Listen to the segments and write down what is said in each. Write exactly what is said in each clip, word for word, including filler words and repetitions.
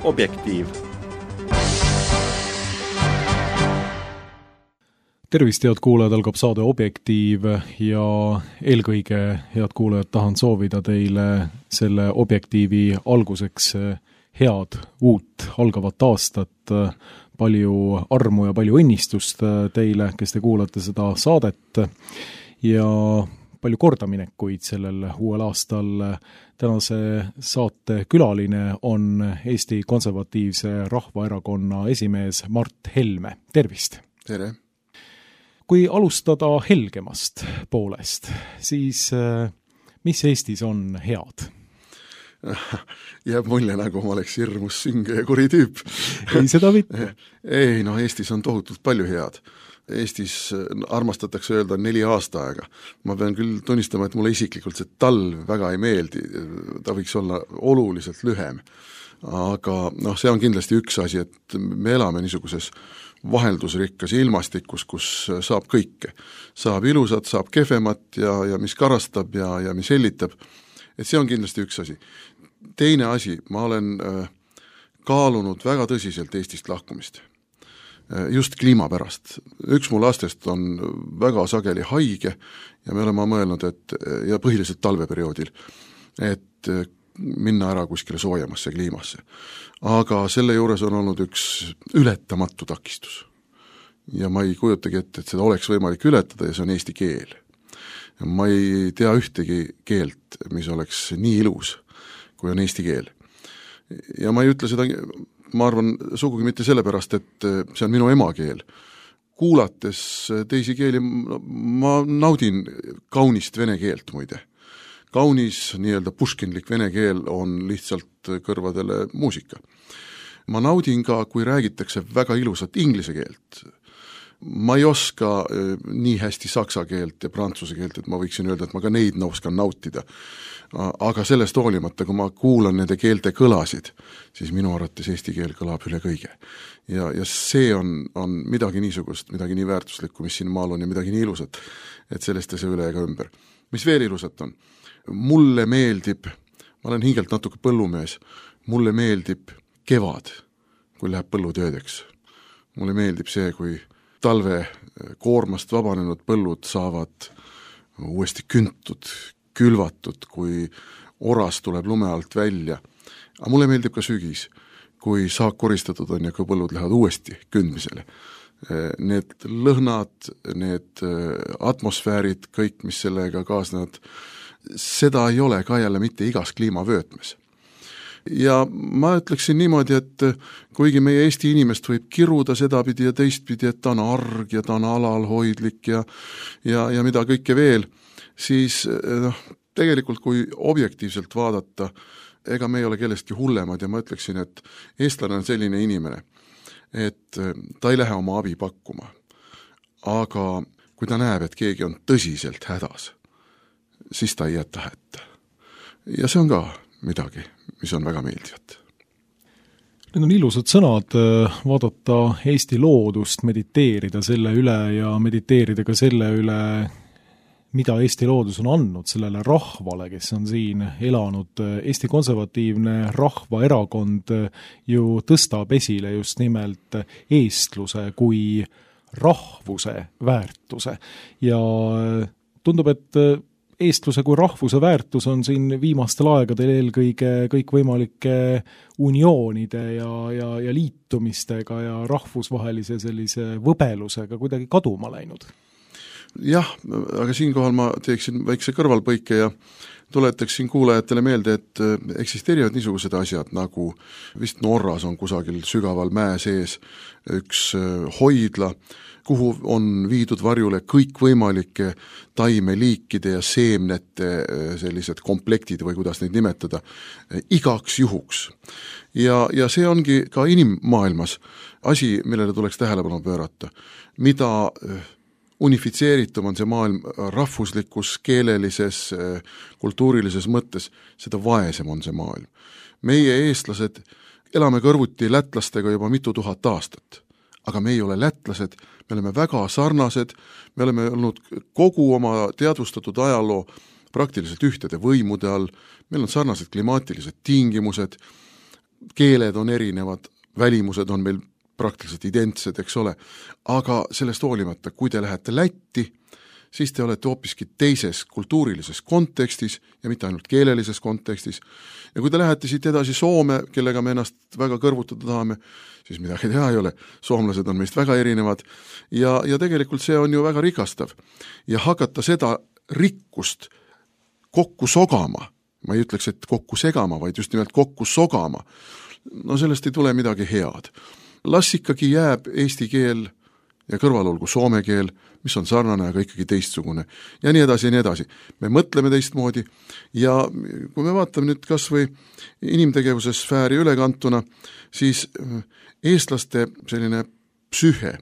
Objektiiv. Tervist, head kuulajad, algab saade Objektiiv ja eelkõige, head kuulajad, tahan soovida teile selle Objektiivi alguseks head uut algavat aastat, palju armu ja palju õnnistust teile, kes te kuulate seda saadet ja palju kordaminekuid sellel uuel aastal. Tänase saate külaline on Eesti Konservatiivse Rahvaerakonna esimees Mart Helme. Tervist! Tere! Kui alustada helgemast poolest, siis mis Eestis on head? Jääb mulje, nagu ma oleks hirmus sünge ja kuri tüüp. Ei seda mitte. Ei, no Eestis on tohutult palju head. Eestis armastatakse öelda neli aastaaega. Ma pean küll tunnistama, et mulle isiklikult see talv väga ei meeldi. Ta võiks olla oluliselt lühem. Aga noh, see on kindlasti üks asi, et me elame niisuguses vaheldusrikkas ilmastikus, kus saab kõike. Saab ilusat, saab kehvemat ja, ja mis karastab ja, ja mis hellitab. Et see on kindlasti üks asi. Teine asi, ma olen äh, kaalunud väga tõsiselt Eestist lahkumist. Äh, just kliima pärast. Üks mu lastest on väga sageli haige ja me oleme mõelnud, et, ja põhiliselt talveperioodil, et äh, minna ära kuskile soojemasse kliimasse. Aga selle juures on olnud üks ületamatu takistus. Ja ma ei kujutagi ette, et seda oleks võimalik ületada ja see on eesti keel. Ma ei tea ühtegi keelt, mis oleks nii ilus, kui on eesti keel. Ja ma ei ütle seda, ma arvan, sugugi mitte sellepärast, et see on minu emakeel. Kuulates teisi keeli, ma naudin kaunist vene keelt muide. Kaunis, nii-öelda puškinlik vene keel on lihtsalt kõrvadele muusika. Ma naudin ka, kui räägitakse väga ilusat inglise keelt. Ma ei oska nii hästi saksa keelt ja prantsuse keelt, et ma võiksin öelda, et ma ka neid oskan nautida. Aga sellest hoolimata, kui ma kuulan nende keelte kõlasid, siis minu arvates eesti keel kõlab üle kõige. Ja, ja see on, on midagi niisugust, midagi nii väärtuslikku, mis siin maal on ja midagi nii ilusat, et sellest ei saa üle ega ümber. Mis veel ilusat on? Mulle meeldib, ma olen hingelt natuke põllumees, mulle meeldib kevad, kui läheb põllutöödeks. Mulle meeldib see, kui talve koormast vabanenud põllud saavad uuesti küntud, külvatud, kui oras tuleb lume alt välja. Aga mulle meeldib ka sügis, kui saak koristatud on ja kui põllud lähevad uuesti kündmisele. Need lõhnad, need atmosfäärid, kõik, mis sellega kaasnevad, seda ei ole ka jälle mitte igas kliimavöötmes. Ja ma ütleksin niimoodi, et kuigi meie Eesti inimest võib kiruda sedapidi ja teistpidi, et ta on arg ja ta on alalhoidlik ja, ja, ja mida kõike veel, siis noh, tegelikult kui objektiivselt vaadata, ega me ei ole kellestki hullemad ja ma ütleksin, et eestlane on selline inimene, et ta ei lähe oma abi pakkuma. Aga kui ta näeb, et keegi on tõsiselt hädas, siis ta ei jäta hätta. Ja see on ka midagi, mis on väga meeldivat. Need on ilusad sõnad, vaadata Eesti loodust, mediteerida selle üle ja mediteerida ka selle üle, mida Eesti loodus on andnud sellele rahvale, kes on siin elanud. Eesti Konservatiivne Rahvaerakond ju tõstab esile just nimelt eestluse kui rahvuse väärtuse ja tundub, et eestluse kui rahvuse väärtus on siin viimastel aegadel eelkõige kõik võimalike unioonide ja, ja, ja liitumistega ja rahvusvahelise sellise võbelusega kuidagi kaduma läinud. Jah, aga siinkohal ma teeksin väikse kõrvalpõike ja tuletaksin kuulajatele meelde, et eksisteerivad niisugused asjad, nagu vist Norras on kusagil sügaval mäe sees üks hoidla, kuhu on viidud varjule kõik võimalike taimeliikide ja seemnete sellised komplektid või kuidas neid nimetada, igaks juhuks. Ja, ja see ongi ka inimmaailmas asi, millele tuleks tähelepanu pöörata. Mida unifitseeritum on see maailm rahvuslikus, keelelises, kultuurilises mõttes, seda vaesem on see maailm. Meie eestlased elame kõrvuti lätlastega juba mitu tuhat aastat, aga me ei ole lätlased, me oleme väga sarnased, me oleme olnud kogu oma teadvustatud ajaloo praktiliselt ühtede võimude all, meil on sarnased klimaatilised tingimused, keeled on erinevad, välimused on meil praktiliselt identsed, eks ole, aga sellest hoolimata, kui te lähete Lätti, siis te olete hoopiski teises kultuurilises kontekstis ja mitte ainult keelelises kontekstis. Ja kui te lähete siit edasi Soome, kellega me ennast väga kõrvutada tahame, siis midagi teha ei ole. Soomlased on meist väga erinevad ja, ja tegelikult see on ju väga rikastav. Ja hakata seda rikkust kokku sogama, ma ei ütleks, et kokku segama, vaid just nimelt kokku sogama, no sellest ei tule midagi head. Las ikkagi jääb eesti keel ja kõrval olgu soome keel, mis on sarnane, aga ikkagi teistsugune. Ja nii edasi ja nii edasi. Me mõtleme teistmoodi ja kui me vaatame nüüd kas või inimtegevuse sfääri ülekantuna, siis eestlaste selline psühhe,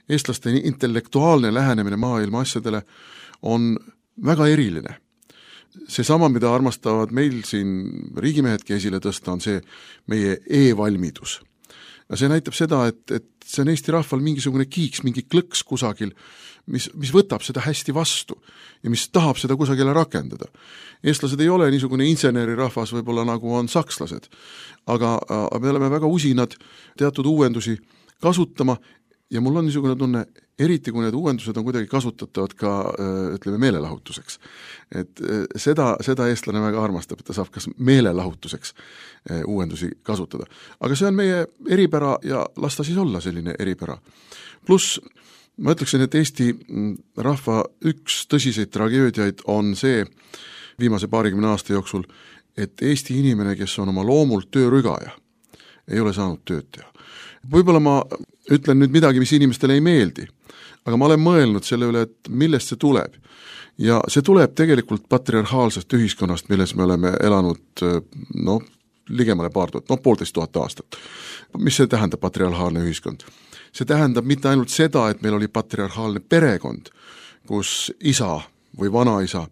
eestlaste intellektuaalne lähenemine maailma asjadele on väga eriline. See sama, mida armastavad meil siin riigimehedki esile tõsta, on see meie e-valmidus. Ja see näitab seda, et, et see on Eesti rahval mingisugune kiiks, mingi klõks kusagil, mis, mis võtab seda hästi vastu ja mis tahab seda kusagile rakendada. Eestlased ei ole niisugune insenerirahvas võib-olla nagu on sakslased, aga me oleme väga usinad teatud uuendusi kasutama ja mul on niisugune tunne, eriti kui need uuendused on kuidagi kasutatavad ka, ütleme, meelelahutuseks. Et seda, seda eestlane väga armastab, et ta saab kas meelelahutuseks uuendusi kasutada. Aga see on meie eripära ja las ta siis olla selline eripära. Plus ma ütleksin, et Eesti rahva üks tõsiseid tragöödiaid on see viimase paarikümne aasta jooksul, et Eesti inimene, kes on oma loomult töörügaja, ei ole saanud tööd teha. Võib-olla ma ütlen nüüd midagi, mis inimestele ei meeldi, aga ma olen mõelnud selle üle, et millest see tuleb. Ja see tuleb tegelikult patriarhaalsest ühiskonnast, milles me oleme elanud no, ligemale paar tuhat, no poolteist tuhat aastat. Mis see tähendab patriarhaalne ühiskond? See tähendab mitte ainult seda, et meil oli patriarhaalne perekond, kus isa või vanaisa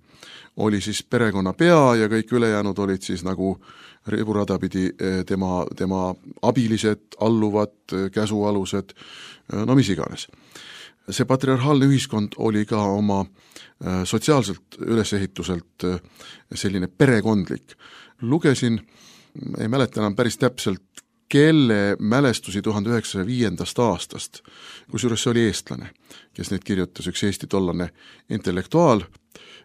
oli siis perekonna pea ja kõik ülejäänud olid siis nagu riburada pidi tema, tema abilised, alluvad, käsualused, no mis iganes. See patriarhaalne ühiskond oli ka oma sotsiaalselt ülesehituselt selline perekondlik. Lugesin, ei mäleta enam päris täpselt, kelle mälestusi tuhande üheksasaja viiendast aastast, kusjuures see oli eestlane, kes neid kirjutas, üks Eesti tollane intellektuaal,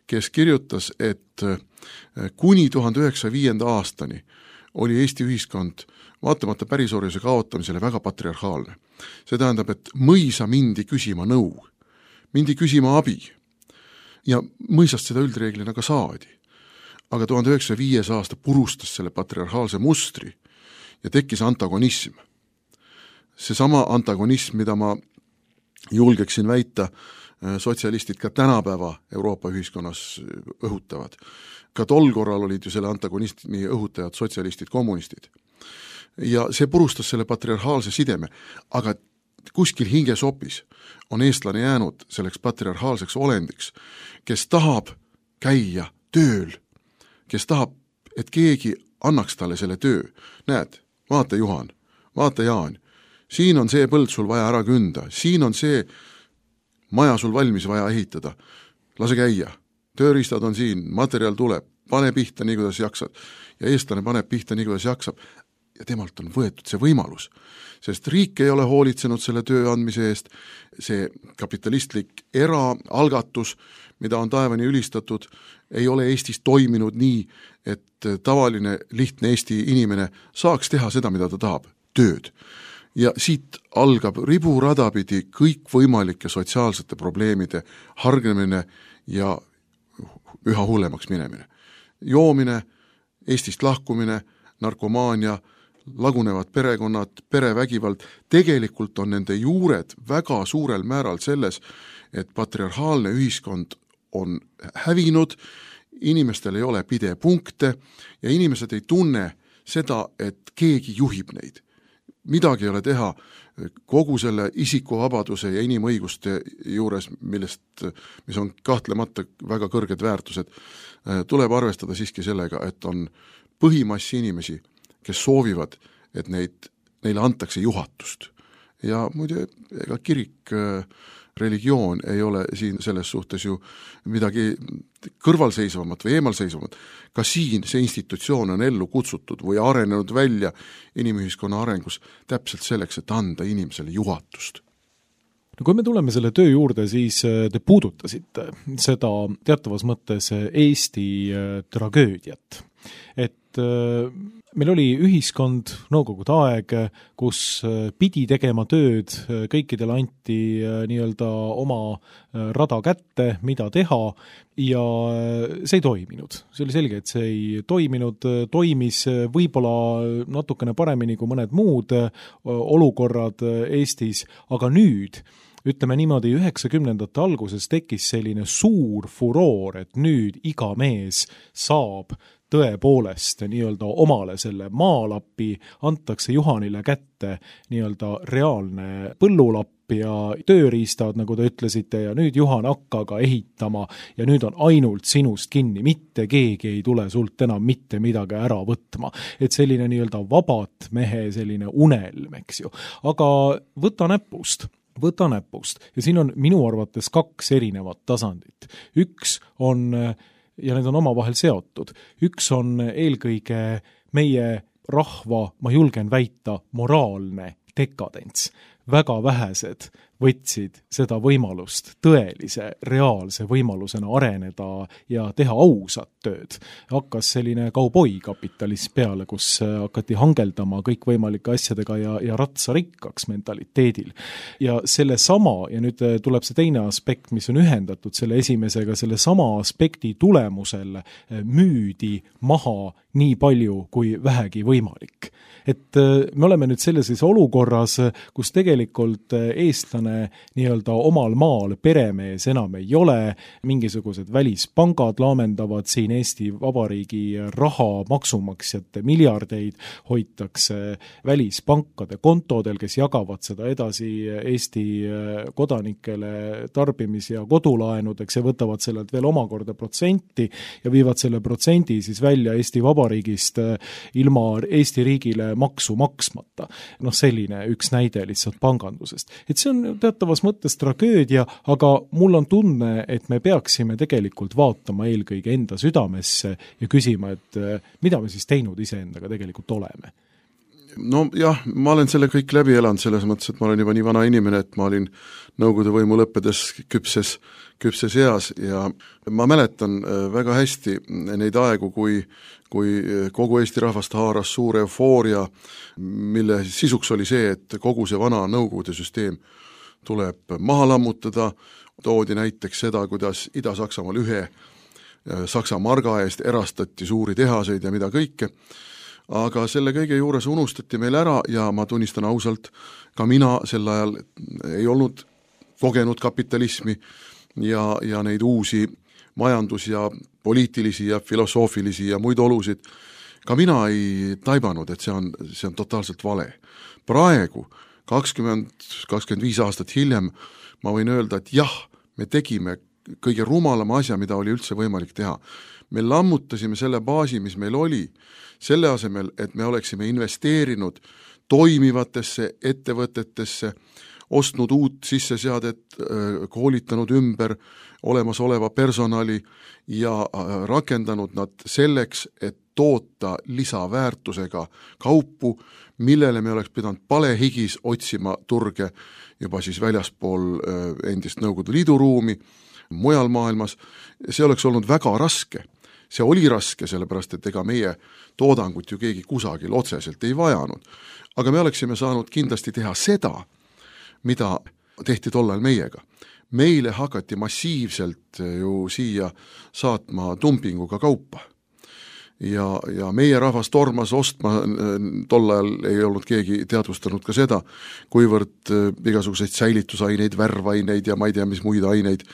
kes kirjutas, et kuni tuhande üheksasaja viienda aastani oli Eesti ühiskond vaatamata pärisorjuse kaotamisele väga patriarhaalne. See tähendab, et mõisa mindi küsima nõu, mindi küsima abi ja mõisast seda üldreeglina ka saadi. Aga tuhande üheksasaja viies aasta purustas selle patriarhaalse mustri ja tekkis antagonism. See sama antagonism, mida ma julgeksin väita, sotsialistid ka tänapäeva Euroopa ühiskonnas õhutavad. Ka tol korral olid ju selle antagonismi õhutajad sotsialistid, kommunistid. Ja see purustas selle patriarhaalse sideme, aga kuskil hingesopis on eestlane jäänud selleks patriarhaalseks olendiks, kes tahab käia tööl, kes tahab, et keegi annaks talle selle töö. Näed, vaata Juhan, vaata Jaan, siin on see põld sul vaja ära künda, siin on see maja sul valmis vaja ehitada, lase käia, tööriistad on siin, materjal tuleb, pane pihta nii, kuidas jaksad. Ja eestlane paneb pihta nii, kuidas jaksab. Ja temalt on võetud see võimalus, sest riik ei ole hoolitsenud selle töö andmise eest, see kapitalistlik eraalgatus, mida on taevani ülistatud, ei ole Eestis toiminud nii, et tavaline lihtne Eesti inimene saaks teha seda, mida ta tahab, tööd. Ja siit algab riburadapidi kõik võimalike sotsiaalsete probleemide hargnemine ja üha hullemaks minemine. Joomine, Eestist lahkumine, narkomaania, lagunevad perekonnad, perevägivald, tegelikult on nende juured väga suurel määral selles, et patriarhaalne ühiskond on hävinud, inimestel ei ole pidepunkte ja inimesed ei tunne seda, et keegi juhib neid. Midagi ei ole teha kogu selle isikuvabaduse ja inimõiguste juures, millest, mis on kahtlemata väga kõrged väärtused, tuleb arvestada siiski sellega, et on põhimassi inimesi, kes soovivad, et neid, neile antakse juhatust. ja muide, ega kirik, religioon ei ole siin selles suhtes ju midagi kõrvalseisvamat või eemalseisvamat. Ka siin see institutsioon on ellu kutsutud või arenenud välja inimühiskonna arengus täpselt selleks, et anda inimesele juhatust. No kui me tuleme selle töö juurde, siis te puudutasite seda teatavas mõttes Eesti tragöödiat. Et meil oli ühiskond, nõukogude aeg, kus pidi tegema tööd, kõikidele anti nii-öelda oma rada kätte, mida teha, ja see ei toiminud. See oli selge, et see ei toiminud, toimis võib-olla natukene paremini kui mõned muud olukorrad Eestis, aga nüüd ütleme niimoodi, üheksakümnendate alguses tekkis selline suur furoor, et nüüd iga mees saab tõepoolest nii-öelda omale selle maalapi, antakse Juhanile kätte nii-öelda reaalne põllulapp ja tööriistad, nagu te ütlesite, ja nüüd Juhan hakkaga ehitama ja nüüd on ainult sinust kinni, mitte keegi ei tule sult enam mitte midagi ära võtma. Et selline nii-öelda vabat mehe selline unelm, eks ju. Aga võta näpust. võta näpust. Ja siin on minu arvates kaks erinevat tasandit. Üks on, ja need on omavahel seotud, üks on eelkõige meie rahva, ma julgen väita, moraalne dekadents. Väga vähesed võtsid seda võimalust tõelise, reaalse võimalusena areneda ja teha ausat tööd. Hakkas selline kauboi kapitalism peale, kus hakati hangeldama kõikvõimalike asjadega ja, ja ratsa rikkaks mentaliteedil. Ja selle sama, ja nüüd tuleb see teine aspekt, mis on ühendatud selle esimesega, selle sama aspekti tulemusel müüdi maha nii palju kui vähegi võimalik. Et me oleme nüüd sellises olukorras, kus tegelikult eestlane nii-öelda omal maal peremees enam ei ole, mingisugused välispangad laamendavad siin Eesti Vabariigi raha, maksumaksjate miljardeid hoitakse välispankade kontodel, kes jagavad seda edasi Eesti kodanikele tarbimis- ja kodulaenudeks ja võtavad sellelt veel omakorda protsenti ja viivad selle protsendi siis välja Eesti Vabariigist ilma Eesti riigile maksu maksmata. Noh, selline üks näide lihtsalt pangandusest. Et see on teatavas mõttes tragöödia, aga mul on tunne, et me peaksime tegelikult vaatama eelkõige enda südamesse ja küsima, et mida me siis teinud iseendaga tegelikult oleme. No jah, ma olen selle kõik läbi elanud selles mõttes, et ma olen juba nii vana inimene, et ma olin nõukogude võimu lõppedes küpses, küpses eas ja ma mäletan väga hästi neid aegu, kui, kui kogu Eesti rahvast haaras suur eufooria, mille sisuks oli see, et kogu see vana nõukogude süsteem tuleb maha lammutada, toodi näiteks seda, kuidas Ida-Saksamaal ühe Saksa marga eest erastati suuri tehaseid ja mida kõike, aga selle kõige juures unustati meil ära ja ma tunnistan ausalt, ka mina sel ajal ei olnud kogenud kapitalismi ja, ja neid uusi majandus- ja poliitilisi ja filosoofilisi ja muid olusid, ka mina ei taibanud, et see on, see on totaalselt vale. Praegu, kakskümmend, kakskümmend viis aastat hiljem, ma võin öelda, et jah, me tegime kõige rumalama asja, mida oli üldse võimalik teha. Me lammutasime selle baasi, mis meil oli, selle asemel, et me oleksime investeerinud toimivatesse ettevõtetesse, ostnud uut sisseseadet, koolitanud ümber olemasoleva personali ja rakendanud nad selleks, et toota lisaväärtusega kaupu, millele me oleks pidanud palehigis otsima turge juba siis väljaspool endist Nõukogude Liidu ruumi, mujal maailmas. See oleks olnud väga raske. See oli raske, sellepärast, et ega meie toodangut ju keegi kusagil otseselt ei vajanud. Aga me oleksime saanud kindlasti teha seda, mida tehti tollal meiega. Meile hakati massiivselt ju siia saatma dumpinguga kaupa. Ja, ja meie rahvas tormas ostma, tol ajal ei olnud keegi teadvustanud ka seda, kuivõrd igasuguseid säilitusaineid, värvaineid ja ma ei tea, mis muid aineid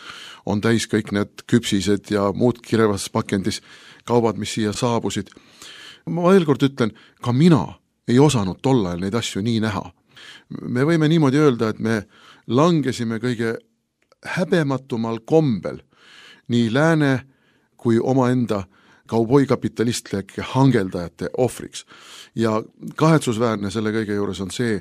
on täis kõik need küpsised ja muud kirevas pakendis kaubad, mis siia saabusid. Ma veel kord ütlen, ka mina ei osanud tol ajal neid asju nii näha. Me võime niimoodi öelda, et me langesime kõige häbematumal kombel nii lääne kui omaenda kauboikapitalistlik hangeldajate ohvriks. Ja kahetsusväärne selle kõige juures on see,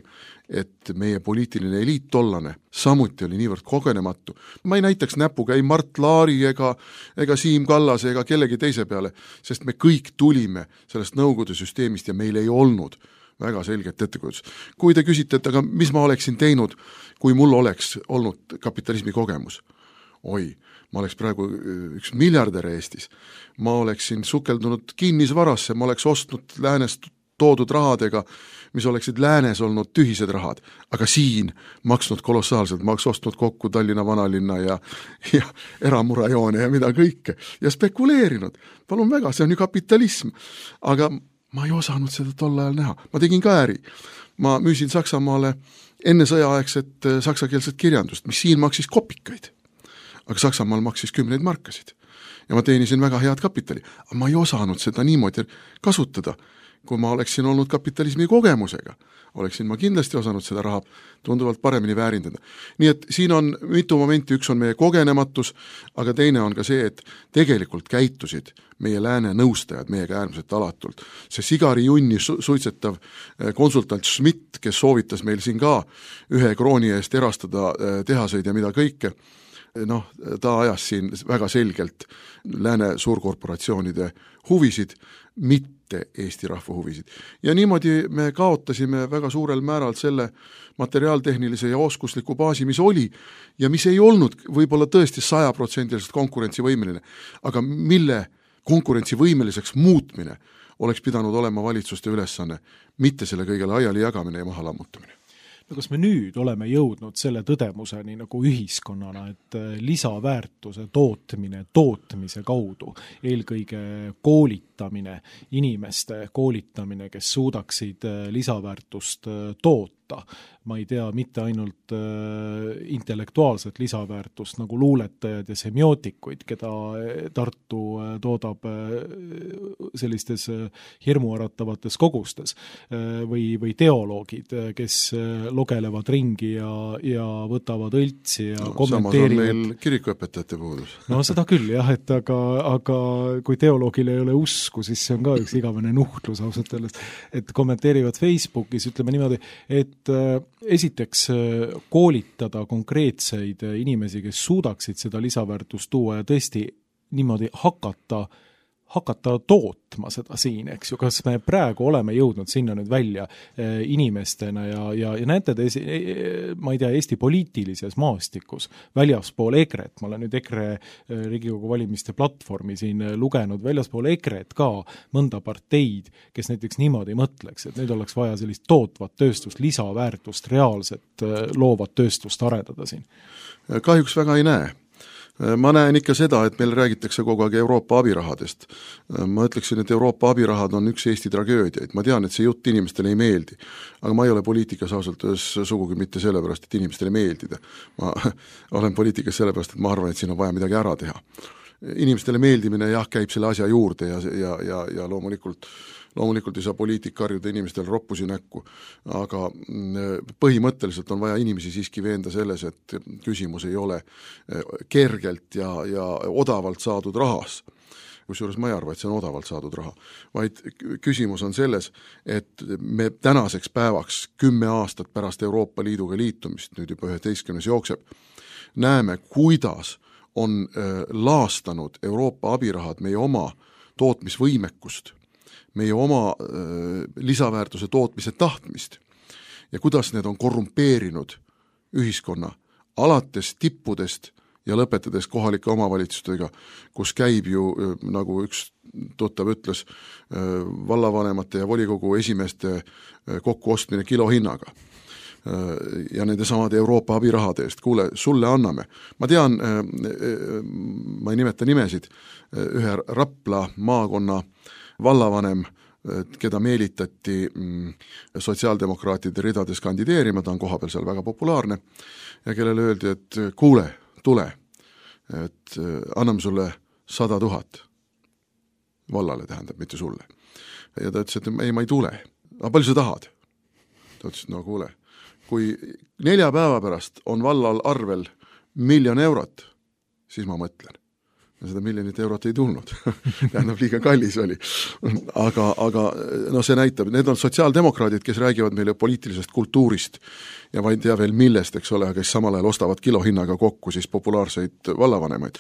et meie poliitiline eliit tollane samuti oli niivõrd kogenematu. Ma ei näitaks näpuga ei Mart Laari ega, ega Siim Kallase ega kellegi teise peale, sest me kõik tulime sellest Nõukogude süsteemist ja meil ei olnud väga selget ettekujutust. Kui te küsite, et aga mis ma oleksin teinud, kui mul oleks olnud kapitalismi kogemus? Oi, ma oleks praegu üks miljardär Eestis. Ma oleksin sukeldunud kinnisvarasse, ma oleks ostnud läänest toodud rahadega, mis oleksid läänes olnud tühised rahad, aga siin maksnud kolossaalselt, ma oleks ostnud kokku Tallinna vanalinna ja, ja eramurajoone ja mida kõike ja spekuleerinud. Palun väga, see on ju kapitalism. Aga ma ei osanud seda tol ajal näha. Ma tegin ka äri. Ma müüsin Saksamaale enne sõjaaegset saksakeelset kirjandust, mis siin maksis kopikaid. Aga Saksamaal maksis kümneid markasid. Ja ma teenisin väga head kapitali. Aga ma ei osanud seda niimoodi kasutada. Kui ma oleksin olnud kapitalismi kogemusega, oleksin ma kindlasti osanud seda raha tunduvalt paremini väärindada. Nii et siin on mitu momenti, üks on meie kogenematus, aga teine on ka see, et tegelikult käitusid meie lääne nõustajad meiega äärmiselt alatult. See sigari junni su- suitsetav konsultant Schmidt, kes soovitas meil siin ka ühe krooni eest erastada tehaseid ja mida kõike, noh, ta ajas siin väga selgelt lääne suurkorporatsioonide huvisid, mitte Eesti rahva huvisid. Ja niimoodi me kaotasime väga suurel määral selle materiaaltehnilise ja oskusliku baasi, mis oli ja mis ei olnud võib-olla tõesti sajaprotsendiliselt konkurentsivõimeline, aga mille konkurentsivõimeliseks muutmine oleks pidanud olema valitsuste ülesanne, mitte selle kõige laiali jagamine ja maha lammutamine. No kas me nüüd oleme jõudnud selle tõdemuseni nagu ühiskonnana, et lisaväärtuse tootmine tootmise kaudu, eelkõige koolitamine, inimeste koolitamine, kes suudaksid lisaväärtust toota, ma ei tea, mitte ainult intellektuaalset lisaväärtust nagu luuletajad ja semiootikuid, keda Tartu toodab sellistes hirmuäratavates kogustes, või, või teoloogid, kes logelevad ringi ja, ja võtavad õltsi ja no, kommenteerivad. Samas on meil kirikuõpetajate puudus. No seda küll jah, et aga, aga kui teoloogil ei ole usku, siis see on ka üks igavene nuhtlus ausalt öeldes, et kommenteerivad Facebookis, ütleme niimoodi, et esiteks koolitada konkreetseid inimesi, kes suudaksid seda lisaväärtust tuua ja tõesti niimoodi hakata hakata tootma seda siin, eks ju, kas me praegu oleme jõudnud sinna nüüd välja eh, inimestena ja, ja, ja näete te, ma ei tea, Eesti poliitilises maastikus väljaspool EKRE-t, ma olen nüüd EKRE Riigikogu valimiste platvormi siin lugenud, väljaspool EKRE-t ka mõnda parteid, kes näiteks niimoodi mõtleks, et nüüd oleks vaja sellist tootvat tööstust, lisaväärtust, reaalset loovat tööstust arendada siin. Kahjuks väga ei näe. Ma näen ikka seda, et meil räägitakse kogu aeg Euroopa abirahadest. Ma ütleksin, et Euroopa abirahad on üks Eesti tragöödiaid. Ma tean, et see jutt inimestele ei meeldi, aga ma ei ole poliitikas ausalt öeldes sugugi mitte sellepärast, et inimestele meeldida. Ma olen poliitikas sellepärast, et ma arvan, et siin on vaja midagi ära teha. Inimestele meeldimine jah, käib selle asja juurde ja, ja, ja, ja loomulikult loomulikult ei saa poliitik karjuda inimestel roppusi näkku, aga põhimõtteliselt on vaja inimesi siiski veenda selles, et küsimus ei ole kergelt ja, ja odavalt saadud rahas, kusjuures ma ei arva, et see on odavalt saadud raha, vaid küsimus on selles, et me tänaseks päevaks kümme aastat pärast Euroopa Liiduga liitumist, nüüd juba üheteistkümnes jookseb, näeme, kuidas on laastanud Euroopa abirahad meie oma tootmisvõimekust, meie oma äh, lisaväärtuse tootmise tahtmist ja kuidas need on korrumpeerinud ühiskonna alates tippudest ja lõpetades kohalike omavalitsustega, kus käib ju, äh, nagu üks tuttav ütles, äh, vallavanemate ja volikogu esimeeste äh, kokkuostmine kilohinnaga äh, ja nende samade Euroopa abirahade eest. Kuule, sulle anname. Ma tean, äh, äh, ma ei nimeta nimesid, äh, ühe Rapla maakonna vallavanem, keda meelitati sotsiaaldemokraatide ridades kandideerima, ta on kohapeal seal väga populaarne, ja kellele öeldi, et kuule, tule, et anname sulle sada tuhat vallale, tähendab, mitte sulle. Ja ta ütles, et ei, ma ei tule. Aga palju sa tahad? Ta ütles, no kuule, kui nelja päeva pärast on vallal arvel miljon eurot, siis ma mõtlen. seda miljonit eurot ei tulnud tähendab, liiga kallis oli. aga, aga no see näitab, need on sotsiaaldemokraadid, kes räägivad meile poliitilisest kultuurist ja ma ei tea veel millest, eks ole, kes samal ajal ostavad kilohinnaga kokku siis populaarseid vallavanemaid.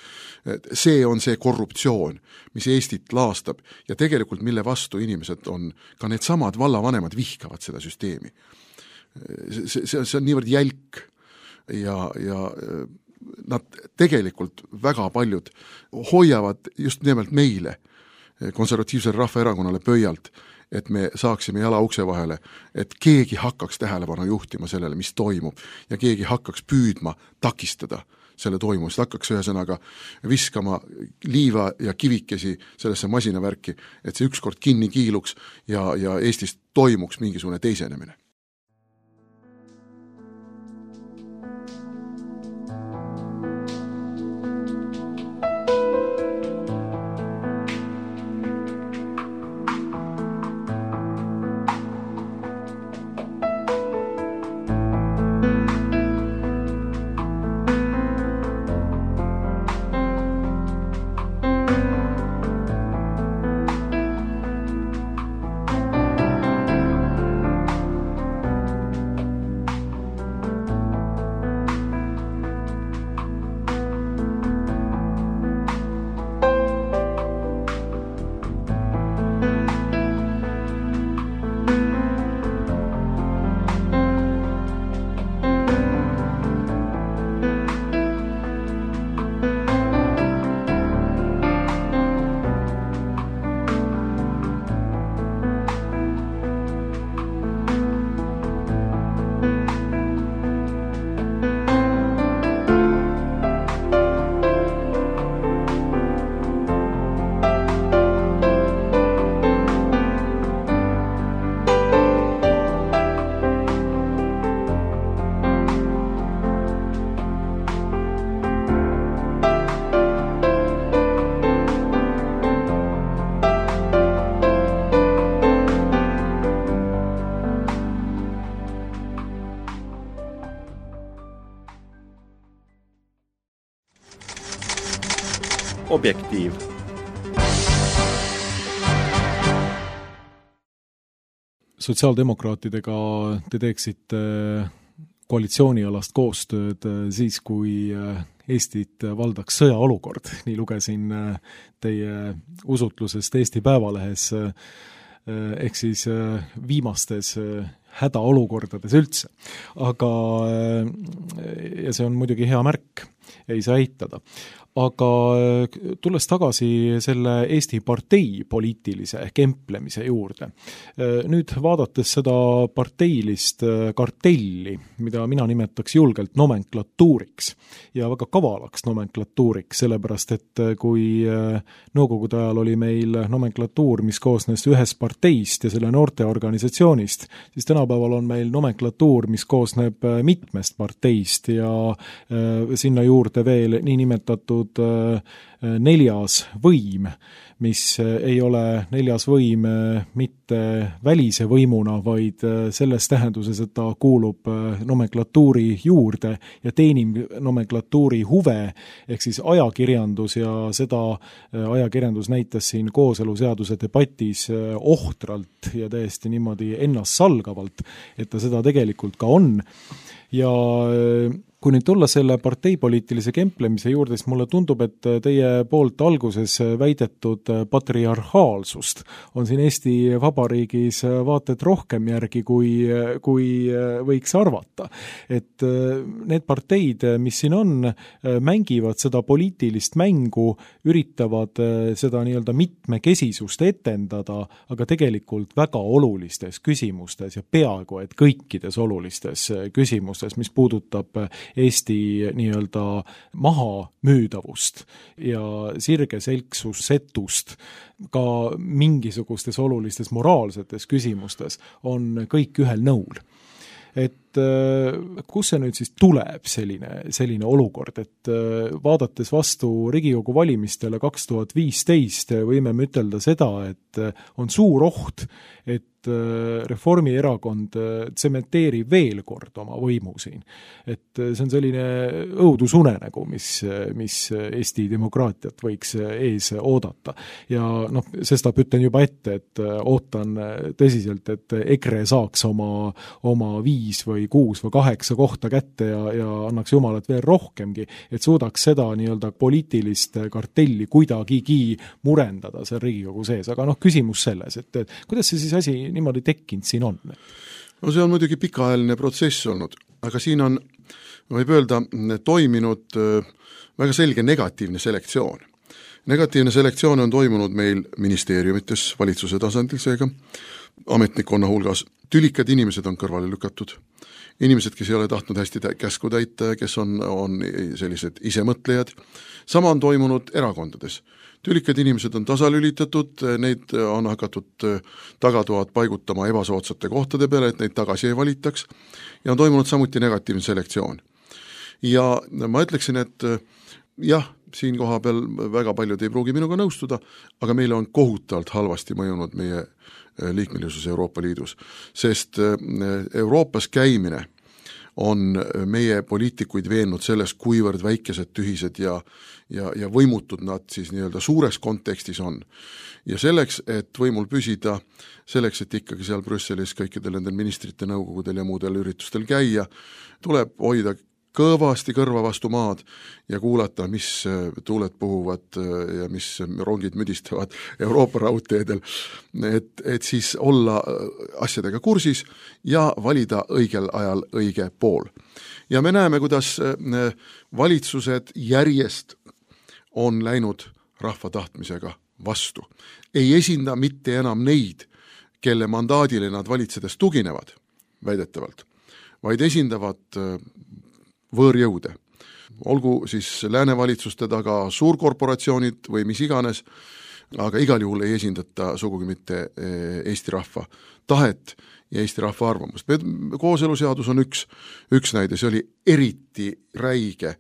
See on see korruptsioon, mis Eestit laastab ja tegelikult mille vastu inimesed on, ka need samad vallavanemad vihkavad seda süsteemi. See, see, see on niivõrd jälk ja, ja nad tegelikult väga paljud hoiavad just nimelt meile, konservatiivsele rahvaerakonnale pöialt, et me saaksime jala ukse vahele, et keegi hakkaks tähelepanu juhtima sellele, mis toimub ja keegi hakkaks püüdma takistada selle toimumist, hakkaks ühesõnaga viskama liiva ja kivikesi sellesse masinavärki, et see ükskord kinni kiiluks ja, ja Eestis toimuks mingisugune teisenemine. Objektiiv. Sotsiaaldemokraatidega te teeksite koalitsioonialast koostööd siis, kui Eestit valdaks sõjaolukord. Nii lugesin teie usutlusest Eesti Päevalehes, ehk siis viimastes hädaolukordades üldse. Aga, ja see on muidugi hea märk, ei saa eitada. Aga tulles tagasi selle Eesti partei poliitilise kemplemise juurde. Nüüd vaadates seda parteilist kartelli, mida mina nimetaks julgelt nomenklatuuriks ja väga kavalaks nomenklatuuriks, sellepärast et kui nõukogude ajal oli meil nomenklatuur, mis koosnes ühest parteist ja selle noorteorganisatsioonist, siis tänapäeval on meil nomenklatuur, mis koosneb mitmest parteist ja sinna juurde veel nii nimetatud neljas võim, mis ei ole neljas võim mitte välise võimuna, vaid selles tähenduses, et ta kuulub nomenklatuuri juurde ja teenib nomenklatuuri huve, ehk siis ajakirjandus ja seda ajakirjandus näitas siin kooseluseaduse debatis ohtralt ja täiesti niimoodi ennast salgavalt, et ta seda tegelikult ka on. Ja kui nüüd tulla selle parteipoliitilise kemplemise juurde, siis mulle tundub, et teie poolt alguses väidetud patriarhaalsust on siin Eesti Vabariigis vaated rohkem järgi, kui, kui võiks arvata. Et need parteid, mis siin on, mängivad seda poliitilist mängu, üritavad seda nii-öelda mitmekesisust etendada, aga tegelikult väga olulistes küsimustes ja peaaegu et kõikides olulistes küsimustes, mis puudutab Eesti nii-öelda maha müüdavust ja sirgeselksussetust ka mingisugustes olulistes moraalsetes küsimustes on kõik ühel nõul. Et et kus see nüüd siis tuleb, selline, selline olukord, et vaadates vastu Riigikogu valimistele kaks tuhat viisteist võime me ütelda seda, et on suur oht, et Reformierakond tsementeerib veel kord oma võimu siin. Et see on selline õudusunenägu, mis, mis Eesti demokraatiat võiks ees oodata. Ja noh, sestap ütlen juba ette, et ootan tõsiselt, et EKRE saaks oma, oma viis või kuus või kaheksa kohta kätte ja, ja annaks jumalat veel rohkemgi, et suudaks seda nii-öelda poliitilist kartelli kuidagigi murendada seal Riigikogu sees. Aga noh, küsimus selles, et, et kuidas see siis asi niimoodi tekkinud siin on? No see on muidugi pikaajaline protsess olnud, aga siin on, võib öelda, toiminud väga selge negatiivne selektsioon. Negatiivne selektsioon on toimunud meil ministeeriumites, valitsuse tasandil seega, ametnikkonna hulgas. Tülikad inimesed on kõrvale lükatud. Inimesed, kes ei ole tahtnud hästi käsku täita, kes on, on sellised isemõtlejad. Sama on toimunud erakondades. Tülikad inimesed on tasalülitatud, neid on hakatud tagatoad paigutama ebasootsate kohtade peale, et neid tagasi ei valitaks, ja on toimunud samuti negatiivne selektsioon. Ja ma ütleksin, et jah, siin koha peal väga paljud ei pruugi minuga nõustuda, aga meile on kohutavalt halvasti mõjunud meie liikmelisus Euroopa Liidus, sest Euroopas käimine on meie poliitikuid veennud selles, kuivõrd väikesed, tühised ja, ja, ja võimutud nad siis nii-öelda suures kontekstis on. Ja selleks, et võimul püsida, selleks, et ikkagi seal Brüsselis kõikidel nendel ministrite nõukogudel ja muudel üritustel käia, tuleb hoida kõvasti kõrva vastu maad ja kuulata, mis tuuled puhuvad ja mis rongid müdistavad Euroopa raudteedel, et, et siis olla asjadega kursis ja valida õigel ajal õige pool. Ja me näeme, kuidas valitsused järjest on läinud rahva tahtmisega vastu. Ei esinda mitte enam neid, kelle mandaadile nad valitsedes tuginevad, väidetavalt, vaid esindavad võõrjõude. Olgu siis läänevalitsuste taga suurkorporatsioonid või mis iganes, aga igal juhul ei esindata sugugi mitte Eesti rahva tahet ja Eesti rahva arvamust. Kooseluseadus on üks, üks näide, see oli eriti räige,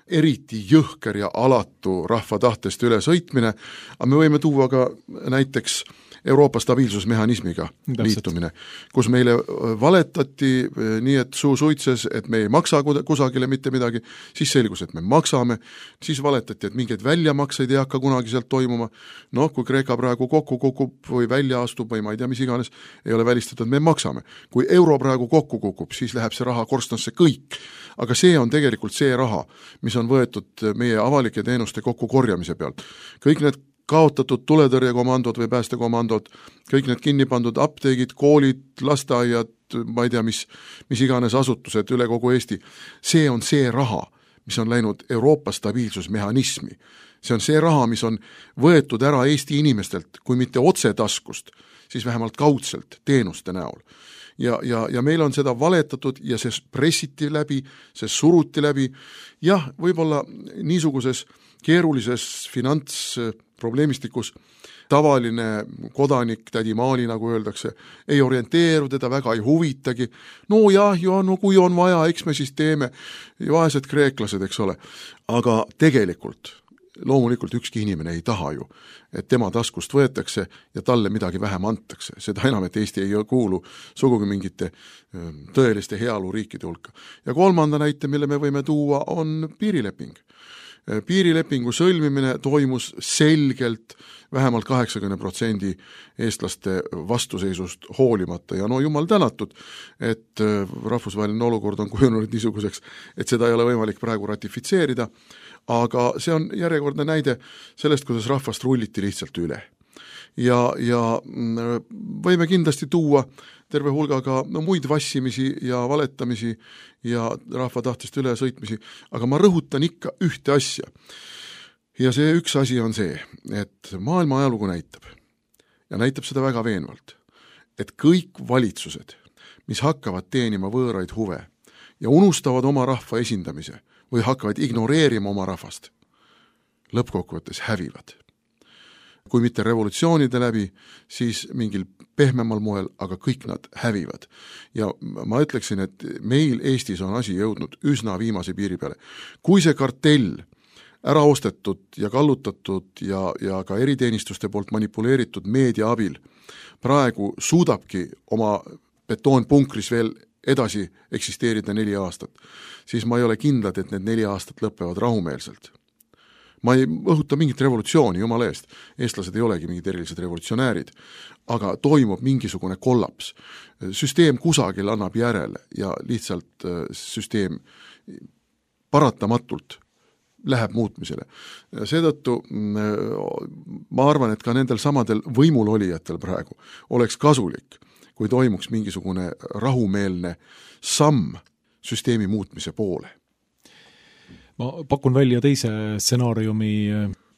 eriti jõhker ja alatu rahva tahtest üle sõitmine, aga me võime tuua ka näiteks Euroopa stabiilsusmehhanismiga liitumine, kus meile valetati nii, et suu suitses, et me ei maksa kusagile mitte midagi, siis selgus, et me maksame, siis valetati, et mingeid väljamakseid ei hakka kunagi sealt toimuma. No, kui Kreeka praegu kokku kukub või välja astub või ma ei tea, mis iganes, ei ole välistatud, me maksame. Kui euro praegu kokku kukub, siis läheb see raha korstnasse kõik. Aga see on tegelikult see raha, mis on võetud meie avalike teenuste kokkukorjamise pealt. Kõik need kaotatud tuletõrjekomandod või päästekomandod, kõik need kinni pandud apteegid, koolid, lasteaiad, ma ei tea, mis, mis iganes asutused üle kogu Eesti. See on see raha, mis on läinud Euroopa stabiilsusmehhanismi. See on see raha, mis on võetud ära Eesti inimestelt, kui mitte otse taskust, siis vähemalt kaudselt teenuste näol. Ja, ja, ja meil on seda valetatud ja see pressiti läbi, see suruti läbi. Jah, võib-olla niisuguses keerulises finantsprobleemistikus tavaline kodanik, tädi Maali, nagu öeldakse, ei orienteeru, teda väga ei huvitagi. No jah, jo, no kui on vaja, eks me siis teeme, vaesed kreeklased, eks ole. Aga tegelikult, loomulikult ükski inimene ei taha ju, et tema taskust võetakse ja talle midagi vähem antakse. Seda enam, et Eesti ei kuulu sugugi mingite tõeliste heaoluriikide hulka. Ja kolmanda näite, mille me võime tuua, on piirileping. Piirilepingu sõlmimine toimus selgelt vähemalt kaheksakümmend protsenti eestlaste vastuseisust hoolimata ja no jumal tänatud, et rahvusvaheline olukord on kujunenud niisuguseks, et seda ei ole võimalik praegu ratifitseerida, aga see on järjekordne näide sellest, kuidas rahvast rulliti lihtsalt üle. Ja, ja võime kindlasti tuua terve hulgaga no, muid vassimisi ja valetamisi ja rahva tahtest üle sõitmisi, aga ma rõhutan ikka ühte asja. Ja see üks asi on see, et maailma ajalugu näitab, ja näitab seda väga veenvalt, et kõik valitsused, mis hakkavad teenima võõraid huve ja unustavad oma rahva esindamise või hakkavad ignoreerima oma rahvast, lõppkokkuvõttes hävivad. kui mitte revolutsioonide läbi, siis mingil pehmemal moel, aga kõik nad hävivad. Ja ma ütleksin, et meil Eestis on asi jõudnud üsna viimase piiri peale. Kui see kartell ära ostetud ja kallutatud ja, ja ka eriteenistuste poolt manipuleeritud meedia abil praegu suudabki oma betoonpunkris veel edasi eksisteerida neli aastat, siis ma ei ole kindlad, et need neli aastat lõpevad rahumeelselt. Ma ei õhuta mingit revolutsiooni, jumala eest. Eestlased ei olegi mingid erilised revolutsionäärid, aga toimub mingisugune kollaps. Süsteem kusagil annab järele ja lihtsalt süsteem paratamatult läheb muutmisele. Seetõttu ma arvan, et ka nendel samadel võimulolijatel praegu oleks kasulik, kui toimuks mingisugune rahumeelne samm süsteemi muutmise poole. Ma pakun välja teise stsenaariumi,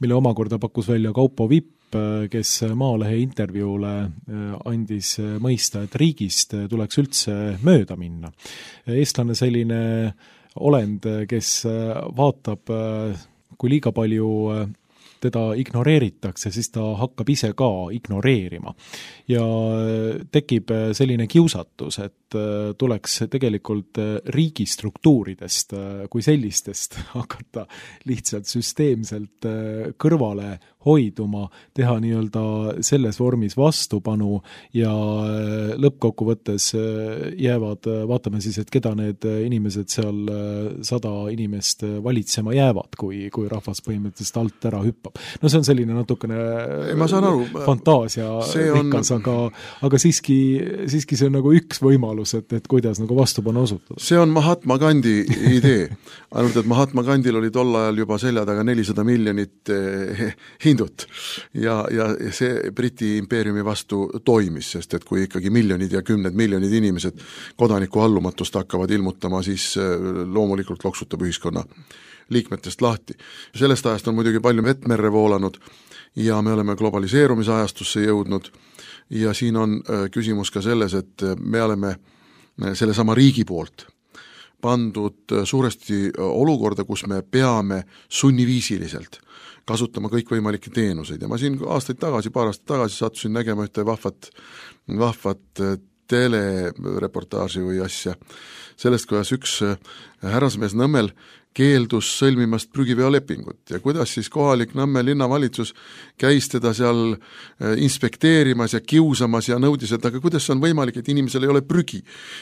mille omakorda pakkus välja Kaupo Vipp, kes Maalehe intervjuule andis mõista, et riigist tuleks üldse mööda minna. Eestlane selline olend, kes vaatab, kui liiga palju teda ignoreeritakse, siis ta hakkab ise ka ignoreerima. Ja tekib selline kiusatus, et tuleks tegelikult riigistruktuuridest kui sellistest hakata lihtsalt süsteemselt kõrvale hoiduma, teha nii-öelda selles vormis vastupanu ja lõppkokkuvõttes jäävad, vaatame siis, et keda need inimesed seal sada inimest valitsema jäävad, kui, kui rahvas põhimõtteliselt alt ära hüppab. No see on selline natukene ma saan aru, fantaasia rikas, on... aga, aga siiski, siiski see on nagu üks võimalus, et, et kuidas nagu vastupanu osutada. See on Mahatma Gandhi idee. Ainult, et Mahatma Gandhil oli tol ajal juba selja taga nelisada miljonit hindut ja, ja see Briti impeeriumi vastu toimis, sest et kui ikkagi miljonid ja kümned miljonid inimesed kodaniku allumatust hakkavad ilmutama, siis loomulikult loksutab ühiskonna liikmetest lahti. Sellest ajast on muidugi palju vettmerre voolanud ja me oleme globaliseerumisajastusse jõudnud ja siin on küsimus ka selles, et me oleme selle sama riigi poolt pandud suuresti olukorda, kus me peame sunniviisiliselt kasutama kõikvõimalikke teenuseid ja ma siin aastaid tagasi, paar aastat tagasi sattusin nägema ühte vahvat, vahvat telereportaaži või asja sellest, kuidas üks härrasmees Nõmmel keeldus sõlmimast prügiveolepingut ja kuidas siis kohalik Nõmme linnavalitsus käis teda seal inspekteerimas ja kiusamas ja nõudis, et aga kuidas on võimalik, et inimesel ei ole prügi.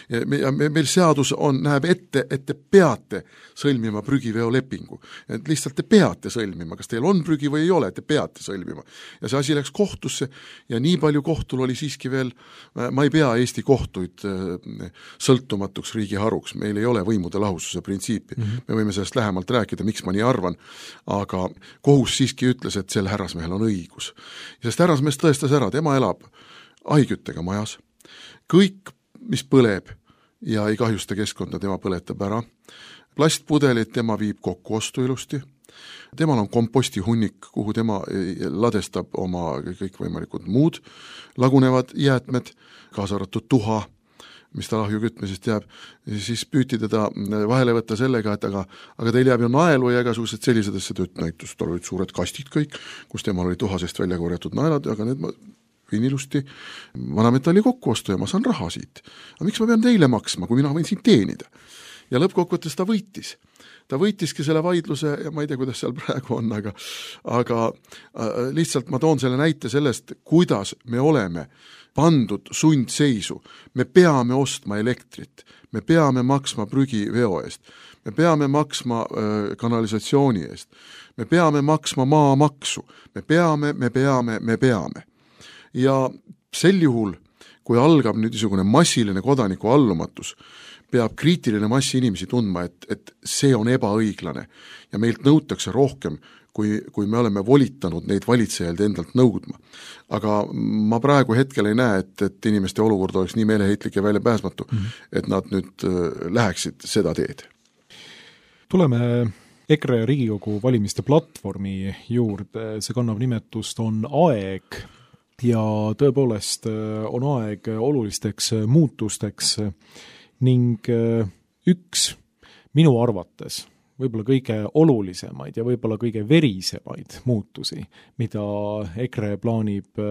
Ja meil seadus on, näeb ette, et te peate sõlmima prügiveolepingu. Et lihtsalt te peate sõlmima, kas teil on prügi või ei ole, te peate sõlmima. Ja see asi läks kohtusse ja nii palju kohtul oli siiski veel, ma ei pea Eesti kohtuid sõltumatuks riigiharuks, meil ei ole võimude lahususe printsiipi. Mm-hmm. Me võime sellest lähemalt rääkida, miks ma nii arvan, aga kohus siiski ütles, et sel härrasmehel on õigus. Sest härrasmees tõestas ära, tema elab ahiküttega majas, kõik, mis põleb ja ei kahjusta keskkonda, tema põletab ära, plastpudelid tema viib kokku ostu ilusti, temal on komposti hunnik, kuhu tema ladestab oma kõikvõimalikud muud lagunevad jäätmed, kaasa arvatud tuha, mis ta lahju kütmisest jääb, siis püüti teda vahele võtta sellega, et aga, aga teil jääb ju naelu ja igasugused sellised asjad, et näitus, tal olid suured kastid kõik, kus temal oli tuhasest välja korjatud naelad, aga need ma võin ilusti vanametalli kokku ostu ja ma saan raha siit. Aga miks ma pean teile maksma, kui mina võin siin teenida? Ja lõppkokkuvõttes ta võitis. Ta võitiski selle vaidluse ja ma ei tea, kuidas seal praegu on, aga, aga lihtsalt ma toon selle näite sellest, kuidas me oleme pandud sundseisu. Me peame ostma elektrit, me peame maksma prügiveo eest, me peame maksma äh, kanalisatsiooni eest, me peame maksma maamaksu, me peame, me peame, me peame. Ja sel juhul, kui algab nüüd niisugune massiline kodaniku allumatus, peab kriitiline massi inimesi tundma, et, et see on ebaõiglane ja meilt nõutakse rohkem, kui, kui me oleme volitanud neid valitsejaid endalt nõudma. Aga ma praegu hetkel ei näe, et, et inimeste olukord oleks nii meeleheitlik ja väljapääsmatu, mm-hmm. et nad nüüd läheksid seda teed. Tuleme EKRE Riigikogu valimiste platvormi juurde, see kannab nimetust on aeg ja tõepoolest on aeg olulisteks muutusteks ning üks minu arvates võib-olla kõige olulisemaid ja võib-olla kõige verisemaid muutusi, mida EKRE plaanib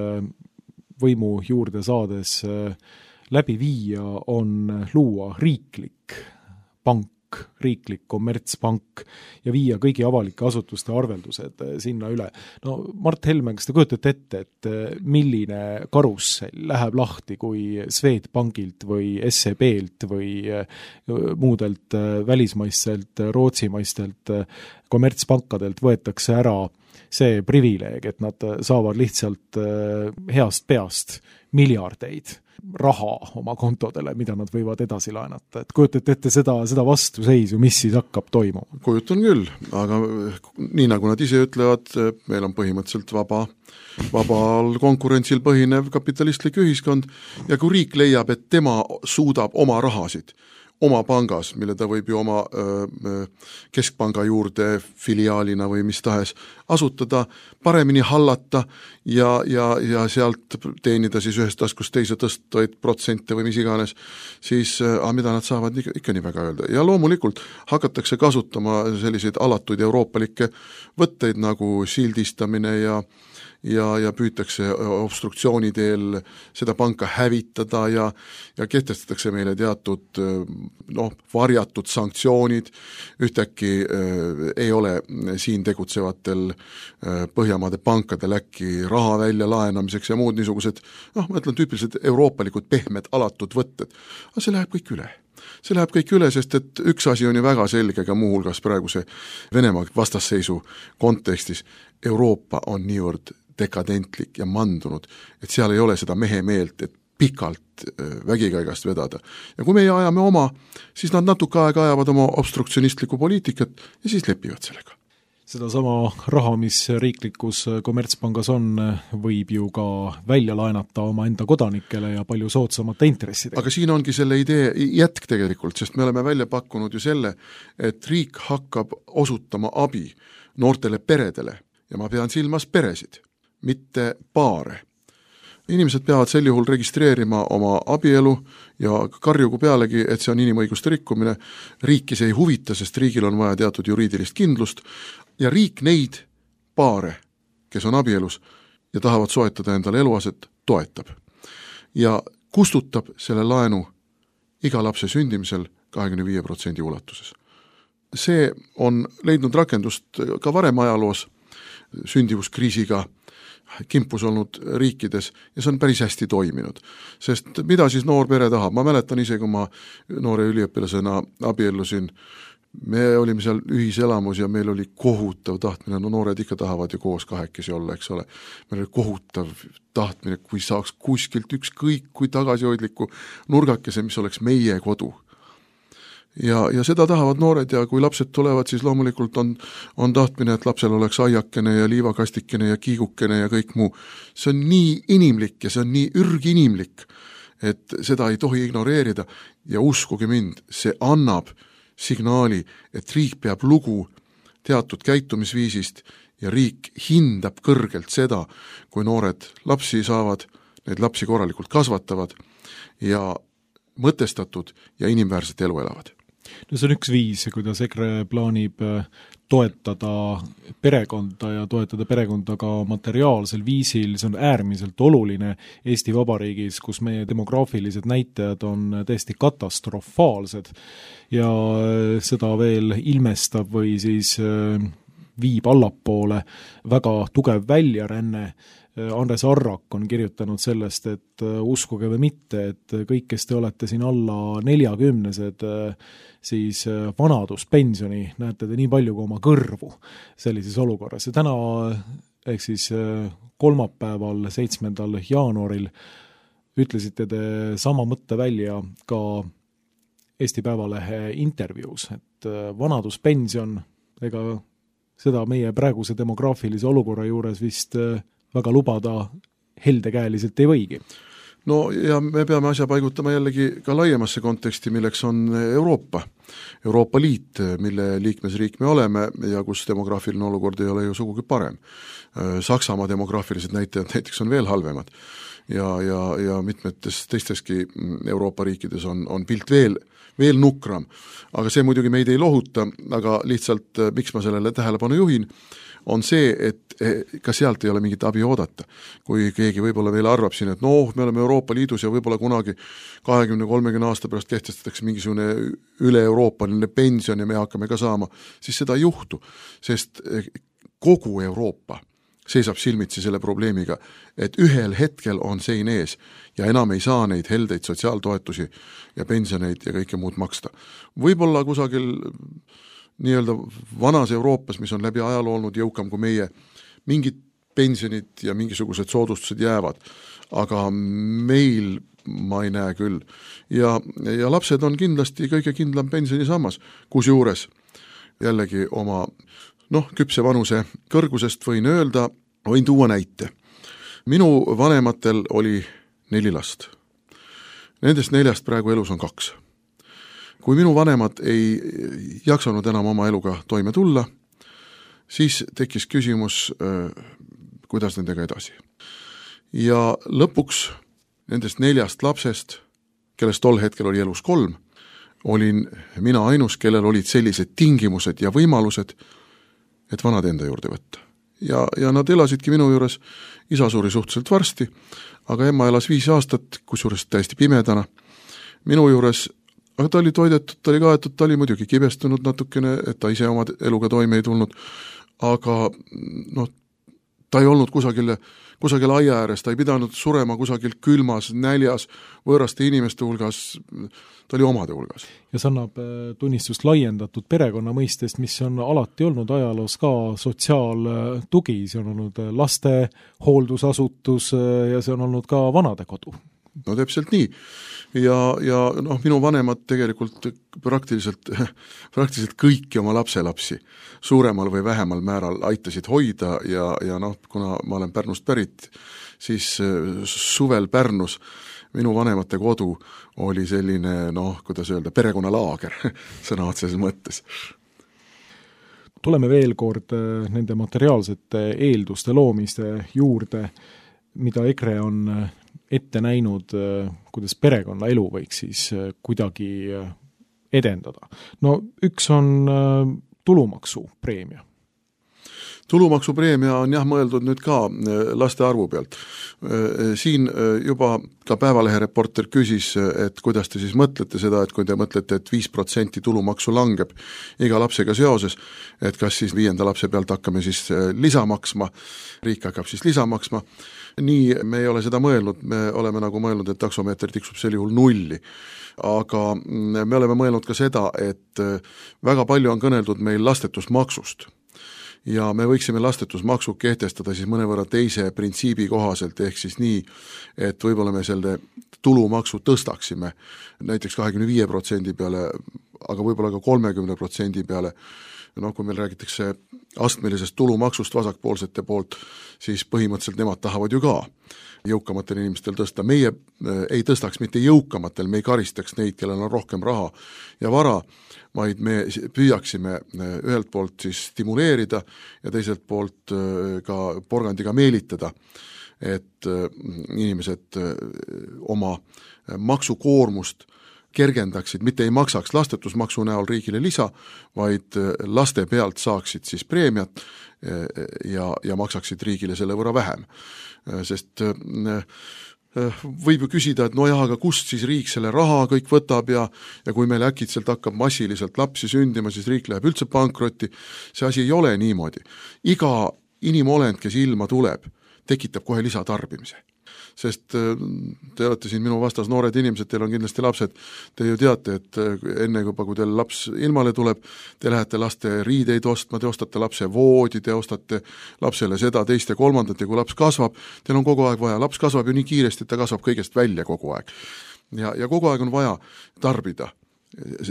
võimu juurde saades läbi viia, on luua riiklik pank, riiklik kommertspank ja viia kõigi avalike asutuste arveldused sinna üle. No Mart Helme, kas te kujutate ette, et milline karussell läheb lahti, kui Swedbankilt või S E B-lt või muudelt välismaistelt, rootsimaistelt kommertspankadelt võetakse ära see privileeg, et nad saavad lihtsalt heast peast miljardeid raha oma kontodele, mida nad võivad edasi laenata. Et kujutate ette seda, seda vastuseisu, mis siis hakkab toimuma? Kujutan küll, aga nii nagu nad ise ütlevad, meil on põhimõtteliselt vaba, vabal konkurentsil põhinev kapitalistlik ühiskond ja kui riik leiab, et tema suudab oma rahasid oma pangas, mille ta võib ju oma öö, keskpanga juurde filiaalina või mis tahes asutada, paremini hallata ja, ja, ja sealt teenida siis ühest taskust teise tõstvaid protsente või mis iganes, siis ah, mida nad saavad ikka, ikka nii väga öelda. Ja loomulikult hakatakse kasutama selliseid alatuid euroopalikke võtteid nagu sildistamine ja ja, ja püütakse obstruktsiooni teel seda panka hävitada ja, ja kehtestatakse meile teatud noh, varjatud sanktsioonid, ühtäkki äh, ei ole siin tegutsevatel äh, Põhjamaade pankadel äkki raha välja laenamiseks ja muud niisugused, noh, ma ütlen tüüpilised euroopalikud pehmed alatud võtted, aga see läheb kõik üle. See läheb kõik üle, sest et üks asi on ju väga selge ka muuhulgas praeguse Venemaa vastasseisu kontekstis, Euroopa on niivõrd dekadentlik ja mandunud, et seal ei ole seda mehe meelt, et pikalt vägikaigast vedada. Ja kui meie ajame oma, siis nad natuke aega ajavad oma obstruktsionistlikku poliitikat ja siis lepivad sellega. Seda sama raha, mis riiklikus kommertspangas on, võib ju ka välja laenata oma enda kodanikele ja palju soodsamate intressidega. Aga siin ongi selle idee jätk tegelikult, sest me oleme välja pakkunud ju selle, et riik hakkab osutama abi noortele peredele ja ma pean silmas peresid, mitte paare. Inimesed peavad sel juhul registreerima oma abielu ja karjugu pealegi, et see on inimõiguste rikkumine. Riiki see ei huvita, sest riigil on vaja teatud juriidilist kindlust ja riik neid paare, kes on abielus ja tahavad soetada endale eluaset, toetab. Ja kustutab selle laenu iga lapse sündimisel kahekümne viie protsendi ulatuses. See on leidnud rakendust ka varem ajaloos sündivuskriisiga kimpus olnud riikides ja see on päris hästi toiminud. Sest mida siis noor pere tahab? Ma mäletan ise, kui ma noore üliõpilasena abiellusin, me olime seal ühiselamus ja meil oli kohutav tahtmine, no noored ikka tahavad ju koos kahekesi olla, eks ole. Meil oli kohutav tahtmine, kui saaks kuskilt ükskõik kui tagasihoidliku nurgakese, mis oleks meie kodu. Ja, ja seda tahavad noored ja kui lapsed tulevad, siis loomulikult on, on tahtmine, et lapsel oleks aiakene ja liivakastikene ja kiigukene ja kõik muu. See on nii inimlik ja see on nii ürginimlik, et seda ei tohi ignoreerida ja uskuge mind, see annab signaali, et riik peab lugu teatud käitumisviisist ja riik hindab kõrgelt seda, kui noored lapsi saavad, neid lapsi korralikult kasvatavad ja mõtestatud ja inimväärset elu elavad. No see on üks viis, kuidas EKRE plaanib toetada perekonda ja toetada perekonda ka materiaalsel viisil, see on äärmiselt oluline Eesti Vabariigis, kus meie demograafilised näitajad on täiesti katastrofaalsed ja seda veel ilmestab või siis viib allapoole väga tugev väljaränne. Andres Arrak on kirjutanud sellest, et uskuge või mitte, et kõik, kes te olete siin alla neljakümnesed, siis vanaduspensioni näete te nii palju kui oma kõrvu sellises olukorras. Ja täna, ehk siis kolmapäeval, seitsmendal jaanuaril ütlesite te sama mõtte välja ka Eesti Päevalehe intervjuus, et vanaduspension, ega seda meie praeguse demograafilise olukorra juures vist väga lubada heldekäeliselt ei võigi. no ja me peame asja paigutama jällegi ka laiemasse konteksti, milleks on Euroopa. Euroopa Liit, mille liikmesriik me oleme ja kus demograafiline olukord ei ole ju sugugi parem. Saksamaa demograafilised näitajad näiteks on veel halvemad ja, ja, ja mitmetes teisteski Euroopa riikides on, on pilt veel, veel nukram. Aga see muidugi meid ei lohuta, aga lihtsalt miks ma sellele tähelepanu juhin, on see, et ka sealt ei ole mingit abi oodata. Kui keegi võib-olla veel arvab siin, et noh, me oleme Euroopa Liidus ja võib-olla kunagi kahekümne kolmekümne aasta pärast kehtestatakse mingisugune üle-euroopaline pension ja me hakkame ka saama, siis seda ei juhtu, sest kogu Euroopa seisab silmitsi selle probleemiga, et ühel hetkel on sein ees ja enam ei saa neid heldeid sotsiaaltoetusi ja pensioneid ja kõike muud maksta. Võib-olla kusagil nii-öelda vanas Euroopas, mis on läbi ajaloo olnud jõukam kui meie, mingid pensionid ja mingisugused soodustused jäävad, aga meil ma ei näe küll. Ja, ja lapsed on kindlasti kõige kindlam pensionisammas, kus juures jällegi oma noh, küpse vanuse kõrgusest võin öelda, võin tuua näite. Minu vanematel oli neli last. Nendest neljast praegu elus on kaks. Kui minu vanemad ei jaksanud enam oma eluga toime tulla, siis tekkis küsimus, kuidas nendega edasi. Ja lõpuks nendest neljast lapsest, kellest tol hetkel oli elus kolm, olin mina ainus, kellel olid sellised tingimused ja võimalused, et vanad enda juurde võtta. Ja, ja nad elasidki minu juures, isa suri suhteliselt varsti, aga emma elas viis aastat, kusjuures täiesti pimedana. Minu juures, aga ta oli toidetud, ta oli kaetud, ta oli muidugi kibestunud natukene, et ta ise oma eluga toime ei tulnud, aga noh, ta ei olnud kusagil, kusagil aia ääres, ta ei pidanud surema kusagil külmas, näljas, võõraste inimeste hulgas, ta oli omade hulgas. Ja see annab tunnistust laiendatud perekonna mõistest, mis on alati olnud ajaloos ka sotsiaaltugi, see on olnud laste hooldusasutus ja see on olnud ka vanade kodu. No täpselt nii. Ja, ja noh, minu vanemad tegelikult praktiliselt, praktiliselt kõiki oma lapselapsi suuremal või vähemal määral aitasid hoida ja, ja noh, kuna ma olen Pärnust pärit, siis suvel Pärnus minu vanemate kodu oli selline, noh, kuidas öelda, perekonnalaager sõna otseses mõttes. Tuleme veel kord nende materiaalsete eelduste loomiste juurde, mida EKRE on ette näinud, kuidas perekonna elu võiks siis kuidagi edendada. No üks on tulumaksu preemia. Tulumaksupreemia on jah mõeldud nüüd ka laste arvu pealt. Siin juba ka Päevalehe reporter küsis, et kuidas te siis mõtlete seda, et kui te mõtlete, et viis protsenti tulumaksu langeb iga lapsega seoses, et kas siis viienda lapse pealt hakkame siis lisamaksma, riik hakkab siis lisamaksma. Nii me ei ole seda mõelnud, me oleme nagu mõelnud, et taksomeeter tiksub sel juhul nulli. Aga me oleme mõelnud ka seda, et väga palju on kõneldud meil lastetusmaksust. Ja me võiksime lastetusmaksu kehtestada siis mõnevõrra teise printsiibi kohaselt, ehk siis nii, et võib-olla me selle tulumaksu tõstaksime näiteks kahekümne viie protsendi peale, aga võib-olla ka kolmekümne protsendi peale. No kui meil räägitakse astmelisest tulumaksust vasakpoolsete poolt, siis põhimõtteliselt nemad tahavad ju ka jõukamatel inimestel tõsta. Meie ei tõstaks mitte jõukamatel, me ei karistaks neid, kellel on rohkem raha ja vara, vaid me püüaksime ühelt poolt siis stimuleerida ja teiselt poolt ka porgandiga meelitada, et inimesed oma maksukoormust kergendaksid, mitte ei maksaks lastetusmaksu näol riigile lisa, vaid laste pealt saaksid siis preemiat ja, ja maksaksid riigile selle võrra vähem. Sest võib ju küsida, et no jah, aga kust siis riik selle raha kõik võtab ja, ja kui meil äkitselt hakkab massiliselt lapsi sündima, siis riik läheb üldse pankrotti. See asi ei ole niimoodi. Iga inimolend, kes ilma tuleb, tekitab kohe lisatarbimise. Sest te olete siin minu vastas noored inimesed, teil on kindlasti lapsed, te ju teate, et enne juba, kui teil laps ilmale tuleb, te lähete laste riideid ostma, te ostate lapse voodi, te ostate lapsele seda, teist ja kolmandat ja kui laps kasvab, teil on kogu aeg vaja, laps kasvab ju nii kiiresti, et ta kasvab kõigest välja kogu aeg. Ja, ja kogu aeg on vaja tarbida.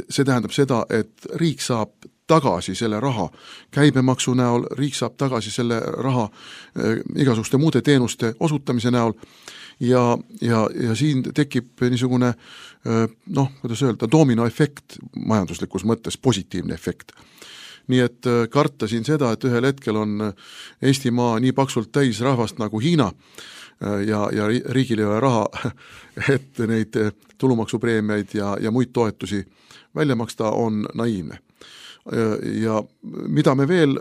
See tähendab seda, et riik saab tagasi selle raha käibemaksu näol, riik saab tagasi selle raha äh, igasuguste muude teenuste osutamise näol ja, ja, ja siin tekib niisugune noh, kuidas öelda, dominoefekt majanduslikus mõttes, positiivne efekt. Nii et karta siin seda, et ühel hetkel on Eestimaa nii paksult täis rahvast nagu Hiina ja, ja riigil ei ole raha, et neid tulumaksupreemiaid ja, ja muid toetusi välja maksta, on naiivne. Ja mida me veel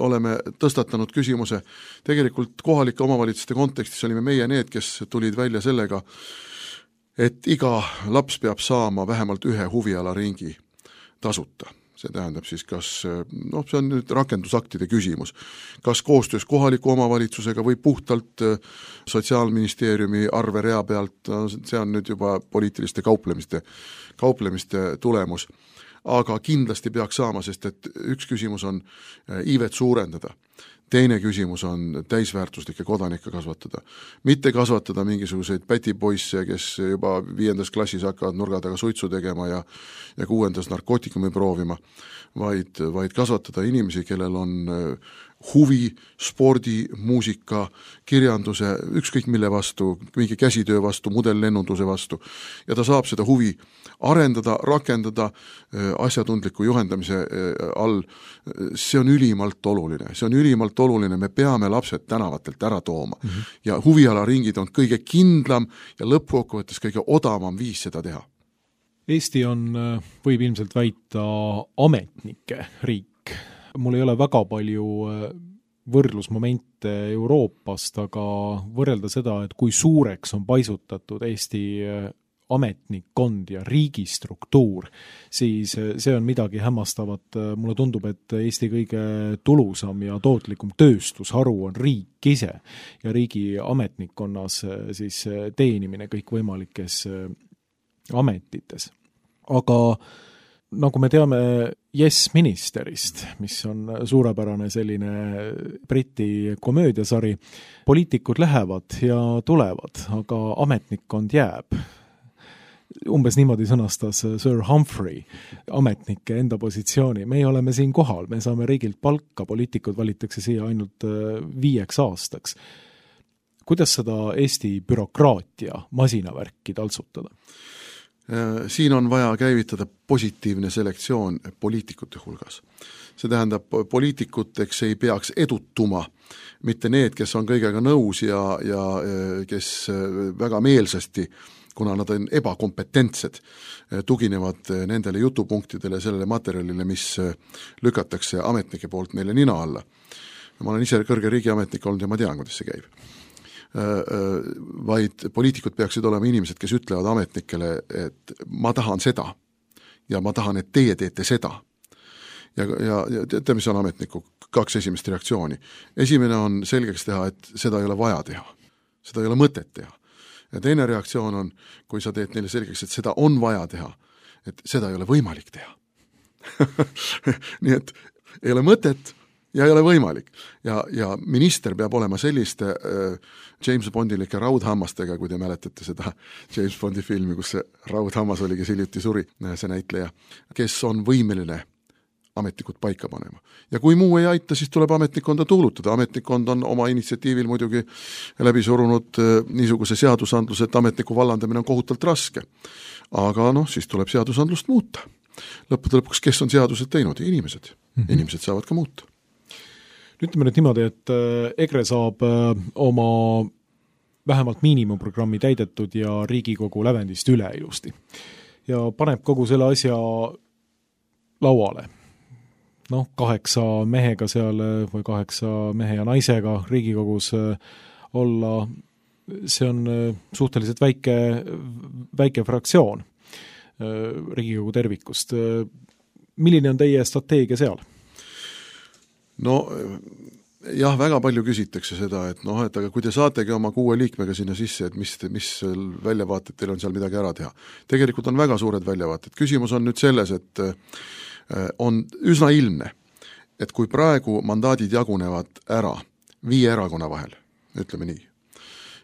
oleme tõstatanud küsimuse, tegelikult kohalike omavalitsuste kontekstis olime meie need, kes tulid välja sellega, et iga laps peab saama vähemalt ühe huvialaringi tasuta. See tähendab siis, kas, noh, see on nüüd rakendusaktide küsimus, kas koostöös kohaliku omavalitsusega või puhtalt Sotsiaalministeeriumi arverea pealt, see on nüüd juba poliitiliste kauplemiste, kauplemiste tulemus. Aga kindlasti peaks saama, sest et üks küsimus on iivet suurendada. Teine küsimus on täisväärtuslikke kodanikke kasvatada. Mitte kasvatada mingisuguseid pätipoisse, kes juba viiendas klassis hakkavad nurga taga suitsu tegema ja, ja kuuendas narkootikumi proovima, vaid, vaid kasvatada inimesi, kellel on huvi, spordi, muusika, kirjanduse, ükskõik mille vastu, mingi käsitöö vastu, modellennunduse vastu. Ja ta saab seda huvi arendada, rakendada asjatundliku juhendamise all. See on ülimalt oluline. See on ülimalt oluline. Me peame lapsed tänavatelt ära tooma. Mm-hmm. Ja huvialaringid on kõige kindlam ja lõppkokkuvõttes kõige odavam viis seda teha. Eesti on, võib ilmselt väita, ametnike riik. Mul ei ole väga palju võrdlusmomente Euroopast, aga võrrelda seda, et kui suureks on paisutatud Eesti ametnikkond ja riigistruktuur, siis see on midagi hämmastavat. Mulle tundub, et Eesti kõige tulusam ja tootlikum tööstusharu on riik ise ja riigi ametnikkonnas siis teenimine kõikvõimalikes ametites. Aga nagu me teame Yes Ministerist, mis on suurepärane selline Briti komöödiasari, poliitikud lähevad ja tulevad, aga ametnikkond jääb. Umbes niimoodi sõnastas Sir Humphrey ametnike enda positsiooni. Me oleme siin kohal, me saame riigilt palka, poliitikud valitakse siia ainult viieks aastaks. Kuidas seda Eesti bürokraatia masinavärki taltsutada? Siin on vaja käivitada positiivne selektsioon poliitikute hulgas. See tähendab, poliitikuteks ei peaks edutuma mitte need, kes on kõigega nõus ja, ja kes väga meelsasti, kuna nad on ebakompetentsed, tuginevad nendele jutupunktidele, sellele materjalile, mis lükatakse ametnike poolt neile nina alla. Ma olen ise kõrge riigiametnik olnud ja ma tean, kuidas see käib. Vaid poliitikud peaksid olema inimesed, kes ütlevad ametnikele, et ma tahan seda ja ma tahan, et teie teete seda. Ja, ja, ja teate, mis on ametniku kaks esimest reaktsiooni. Esimene on selgeks teha, et seda ei ole vaja teha. Seda ei ole mõtet teha. Ja teine reaktsioon on, kui sa teed neile selgeks, et seda on vaja teha, et seda ei ole võimalik teha. Nii et ei ole mõtet ja ei ole võimalik. Ja, ja minister peab olema selliste äh, James Bondilike raudhammastega, kui te mäletate seda James Bondi filmi, kus see raudhammas oli, kes hiljuti suri, see näitleja, kes on võimeline ametnikud paika panema. Ja kui muu ei aita, siis tuleb ametnikkonda tuulutada. Ametnikkond on oma initsiatiivil muidugi läbi surunud äh, niisuguse seadusandluse, et ametniku vallandamine on kohutalt raske. Aga noh, siis tuleb seadusandlust muuta. Lõppude lõpuks, kes on seadused teinud? Inimesed. Mm-hmm. Inimesed saavad ka muuta. Ütleme nüüd niimoodi, et EKRE saab oma vähemalt miinimumprogrammi täidetud ja Riigikogu lävendist üle ilusti. Ja paneb kogu selle asja lauale. Noh, kaheksa mehega seal või kaheksa mehe ja naisega Riigikogus olla, see on suhteliselt väike, väike fraktsioon Riigikogu tervikust. Milline on teie strateegia seal? No jah, väga palju küsitakse seda, et noh, et aga kui te saategi oma kuue liikmega sinna sisse, et mis, mis väljavaated teil on seal midagi ära teha. Tegelikult on väga suured väljavaated. Küsimus on nüüd selles, et on üsna ilmne, et kui praegu mandaadid jagunevad ära viie erakonna vahel, ütleme nii,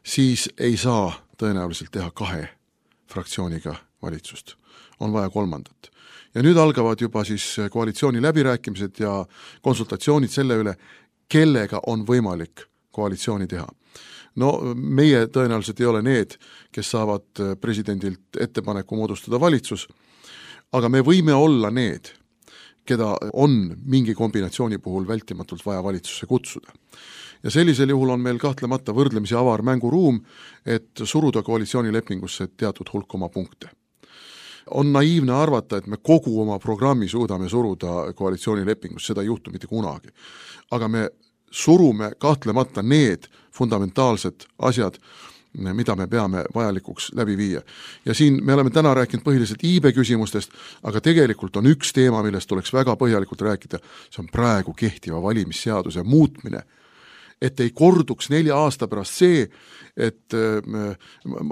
siis ei saa tõenäoliselt teha kahe fraktsiooniga valitsust. On vaja kolmandat. Ja nüüd algavad juba siis koalitsiooni läbirääkimised ja konsultatsioonid selle üle, kellega on võimalik koalitsiooni teha. no meie tõenäoliselt ei ole need, kes saavad presidendilt ettepaneku moodustada valitsus, aga me võime olla need, keda on mingi kombinatsiooni puhul vältimatult vaja valitsusse kutsuda. Ja sellisel juhul on meil kahtlemata võrdlemisi avar mänguruum, et suruda koalitsioonilepingusse teatud hulk oma punkte. On naiivne arvata, et me kogu oma programmi suudame suruda koalitsioonilepingus, seda ei juhtu mitte kunagi. Aga me surume kahtlemata need fundamentaalsed asjad, mida me peame vajalikuks läbi viia. Ja siin me oleme täna rääkinud põhiliselt iibe küsimustest, aga tegelikult on üks teema, millest tuleks väga põhjalikult rääkida, see on praegu kehtiva valimisseaduse muutmine, et ei korduks nelja aasta pärast see, et ma,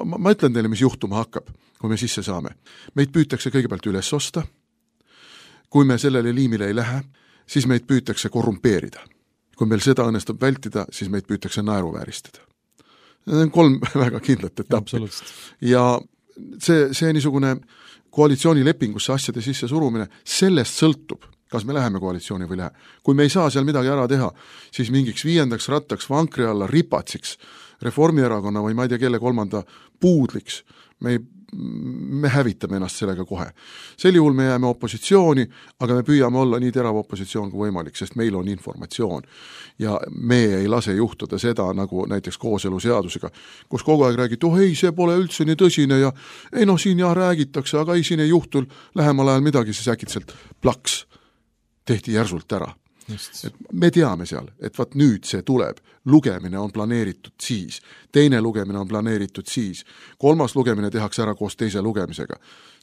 ma, ma ütlen teile, mis juhtuma hakkab, kui me sisse saame. Meid püütakse kõigepealt üles osta, kui me sellele liimile ei lähe, siis meid püütakse korrumpeerida. Kui meil seda õnnestub vältida, siis meid püütakse naeruvääristada. Need on kolm väga kindlat etappi. Ja see, see niisugune koalitsioonilepingusse asjade sisse surumine, sellest sõltub, kas me läheme koalitsiooni või lähe. Kui me ei saa seal midagi ära teha, siis mingiks viiendaks rattaks vankri alla ripatsiks, Reformierakonna või ma ei tea kelle kolmanda puudliks, me, ei, me hävitame ennast sellega kohe. Sel juhul me jääme opositsiooni, aga me püüame olla nii terav opositsioon kui võimalik, sest meil on informatsioon. Ja me ei lase juhtuda seda, nagu näiteks kooseluseadusega, kus kogu aeg räägid, oh ei, see pole üldse nii tõsine ja ei noh, siin jah räägitakse, aga ei, siin ei juhtu lähemal ajal midagi, siis äkitselt plaks tehti järsult ära. Et me teame seal, et vaat nüüd see tuleb, lugemine on planeeritud siis, teine lugemine on planeeritud siis, kolmas lugemine tehakse ära koos teise lugemisega.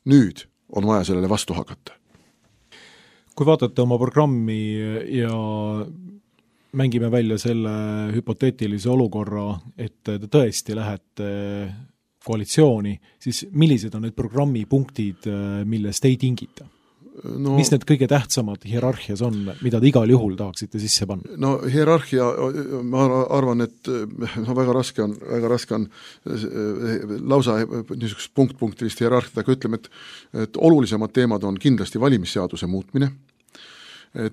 Nüüd on vaja sellele vastu hakata. Kui vaatate oma programmi ja mängime välja selle hüpoteetilise olukorra, et te tõesti lähete koalitsiooni, siis millised on need programmi punktid, millest ei tingita? No, mis need kõige tähtsamad hierarhias on, mida te igal juhul tahaksite sisse panna? No hierarhia, ma arvan, et no, väga raske on, väga raske on lausa niisugust punkt-punktilist hierarhiat, aga ütleme, et, et olulisemad teemad on kindlasti valimisseaduse muutmine.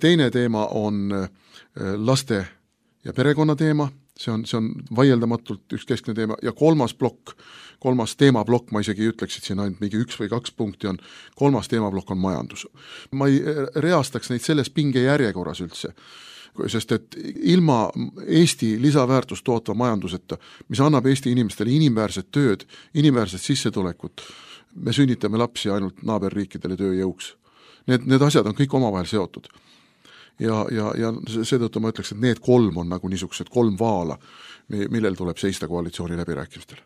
Teine teema on laste ja perekonna teema, see on, see on vaieldamatult üks keskne teema, ja kolmas plokk, kolmas teemablokk, ma isegi ütleks, et siin ainult mingi üks või kaks punkti on, kolmas teemablokk on majandus. Ma ei reastaks neid selles pinge järjekorras üldse, sest et ilma Eesti lisaväärtust tootva majanduseta, mis annab Eesti inimestele inimväärset tööd, inimväärset sissetulekut, me sünnitame lapsi ainult naaberriikidele tööjõuks. Need, need asjad on kõik omavahel seotud. Ja, ja, ja seetõttu ma ütleks, et need kolm on nagu niisugused kolm vaala, millel tuleb seista koalitsiooni läbirääkimistel.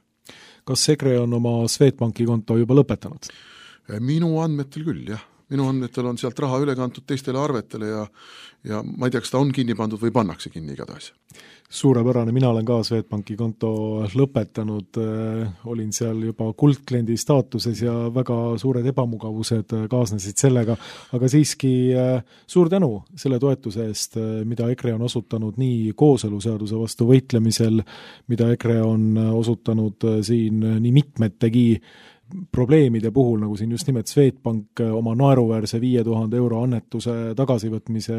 Kas EKRE on oma Swedbanki konto juba lõpetanud? Minu andmetel küll, jah. Minu andmetel on sealt raha üle kantud teistele arvetele ja, ja ma ei tea, kas ta on kinni pandud või pannakse kinni igatahes. Suurepärane, mina olen ka Swedbanki konto lõpetanud, olin seal juba kuldkliendi staatuses ja väga suured ebamugavused kaasnesid sellega, aga siiski suur tänu selle toetuse eest, mida EKRE on osutanud nii kooseluseaduse vastu võitlemisel, mida EKRE on osutanud siin nii mitmetegi probleemide puhul, nagu siin just nimelt Swedbank oma naeruväärse viie tuhande euro annetuse tagasivõtmise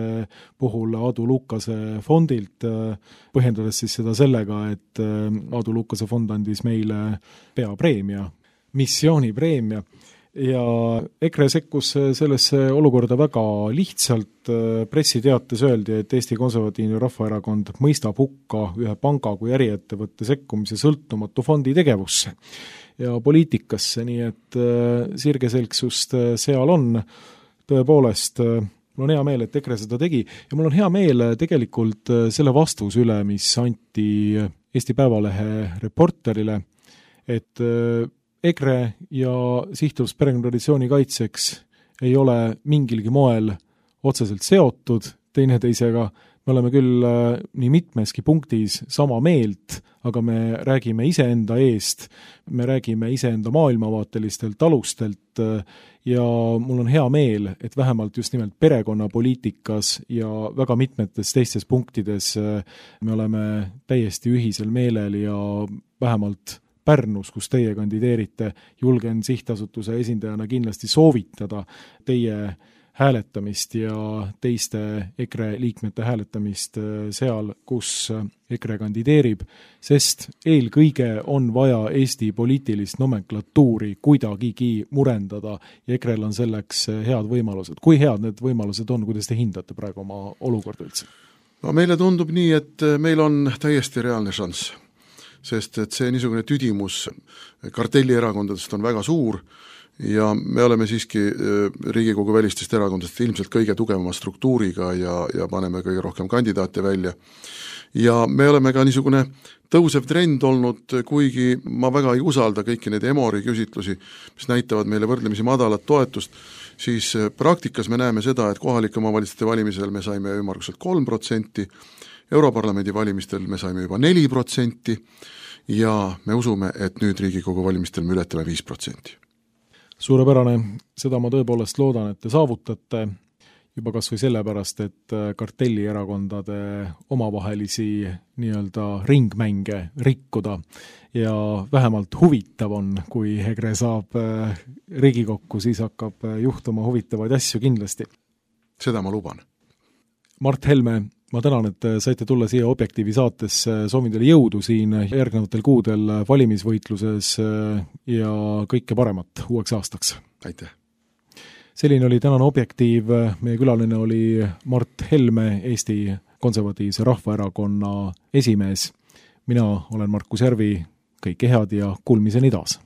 puhul Aadu Lukase fondilt, põhjendades siis seda sellega, et Aadu Lukase fond andis meile peapreemia, missioonipreemia, ja EKRE sekkus sellesse olukorda väga lihtsalt. Pressiteates öeldi, et Eesti Konservatiivne Rahvaerakond mõistab hukka ühe panga kui äriettevõtte sekkumise sõltumatu fondi tegevusse ja poliitikasse, nii et sirgeselgsust seal on. Tõepoolest, mul on hea meel, et EKRE seda tegi ja mul on hea meel tegelikult selle vastus üle, mis anti Eesti Päevalehe reporterile, et EKRE ja Sihtrus perekonnatraditsiooni kaitseks ei ole mingilgi moel otseselt seotud teineteisega. Me oleme küll nii mitmeski punktis sama meelt, aga me räägime iseenda eest, me räägime iseenda maailmavaatelistelt alustelt ja mul on hea meel, et vähemalt just nimelt perekonnapoliitikas ja väga mitmetes teistes punktides me oleme täiesti ühisel meelel ja vähemalt Pärnus, kus teie kandideerite, julgen sihtasutuse esindajana kindlasti soovitada teie hääletamist ja teiste EKRE liikmete hääletamist seal, kus EKRE kandideerib, sest eelkõige on vaja Eesti poliitilist nomenklatuuri kuidagigi murendada ja EKREl on selleks head võimalused. Kui head need võimalused on, kuidas te hindate praegu oma olukorda üldse? No meile tundub nii, et meil on täiesti reaalne šanss, sest et see niisugune tüdimus kartellierakondadest on väga suur ja me oleme siiski Riigikogu välistest erakondadest ilmselt kõige tugevama struktuuriga ja, ja paneme kõige rohkem kandidaate välja. Ja me oleme ka niisugune tõusev trend olnud, kuigi ma väga ei usalda kõiki neid Emori küsitlusi, mis näitavad meile võrdlemisi madalat toetust, siis praktikas me näeme seda, et kohalike omavalitsuste valimisel me saime ümmarguselt kolm protsenti, Europarlamendi valimistel me saime juba neli protsenti ja me usume, et nüüd Riigikogu valimistel me ületame viis protsenti. Suurepärane, seda ma tõepoolest loodan, et te saavutate juba kas või sellepärast, et kartellierakondade omavahelisi nii-öelda ringmänge rikkuda ja vähemalt huvitav on, kui EKRE saab Riigikokku, siis hakkab juhtuma huvitavaid asju kindlasti. Seda ma luban. Mart Helme, ma tänan, et saite tulla siia Objektiivi saatesse, soovin teile jõudu siin järgnevatel kuudel valimisvõitluses ja kõike paremat uueks aastaks. Aitäh! Selline oli tänane Objektiiv, meie külaline oli Mart Helme, Eesti Konservatiivse Rahvaerakonna esimees. Mina olen Markus Järvi, kõike head ja kuulmiseni taas!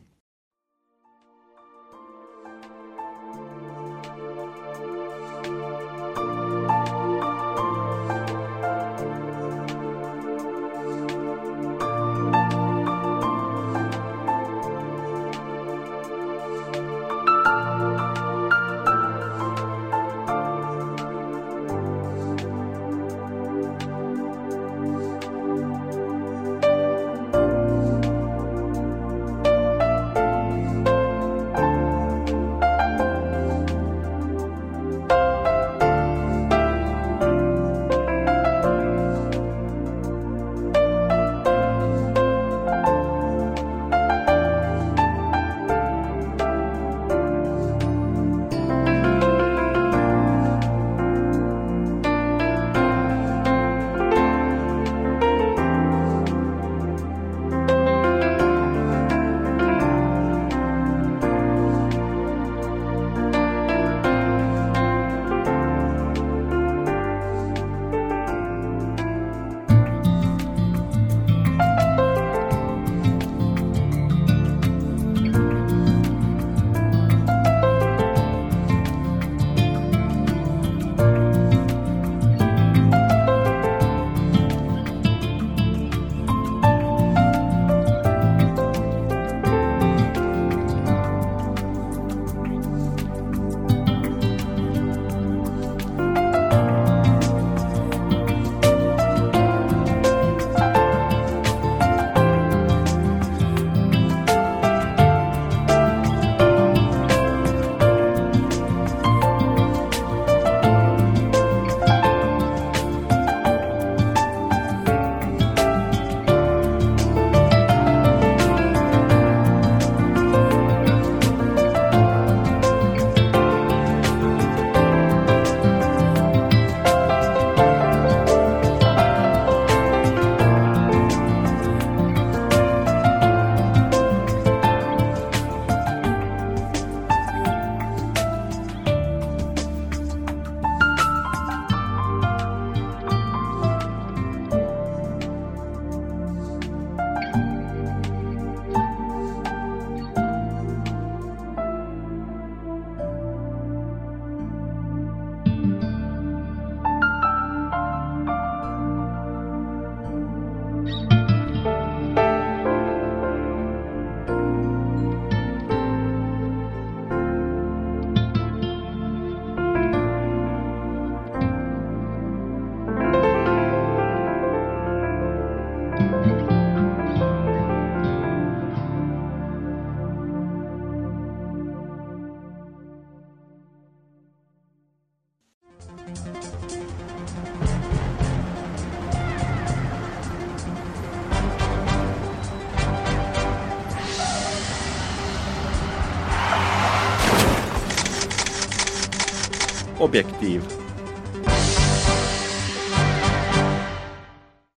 Objektiiv.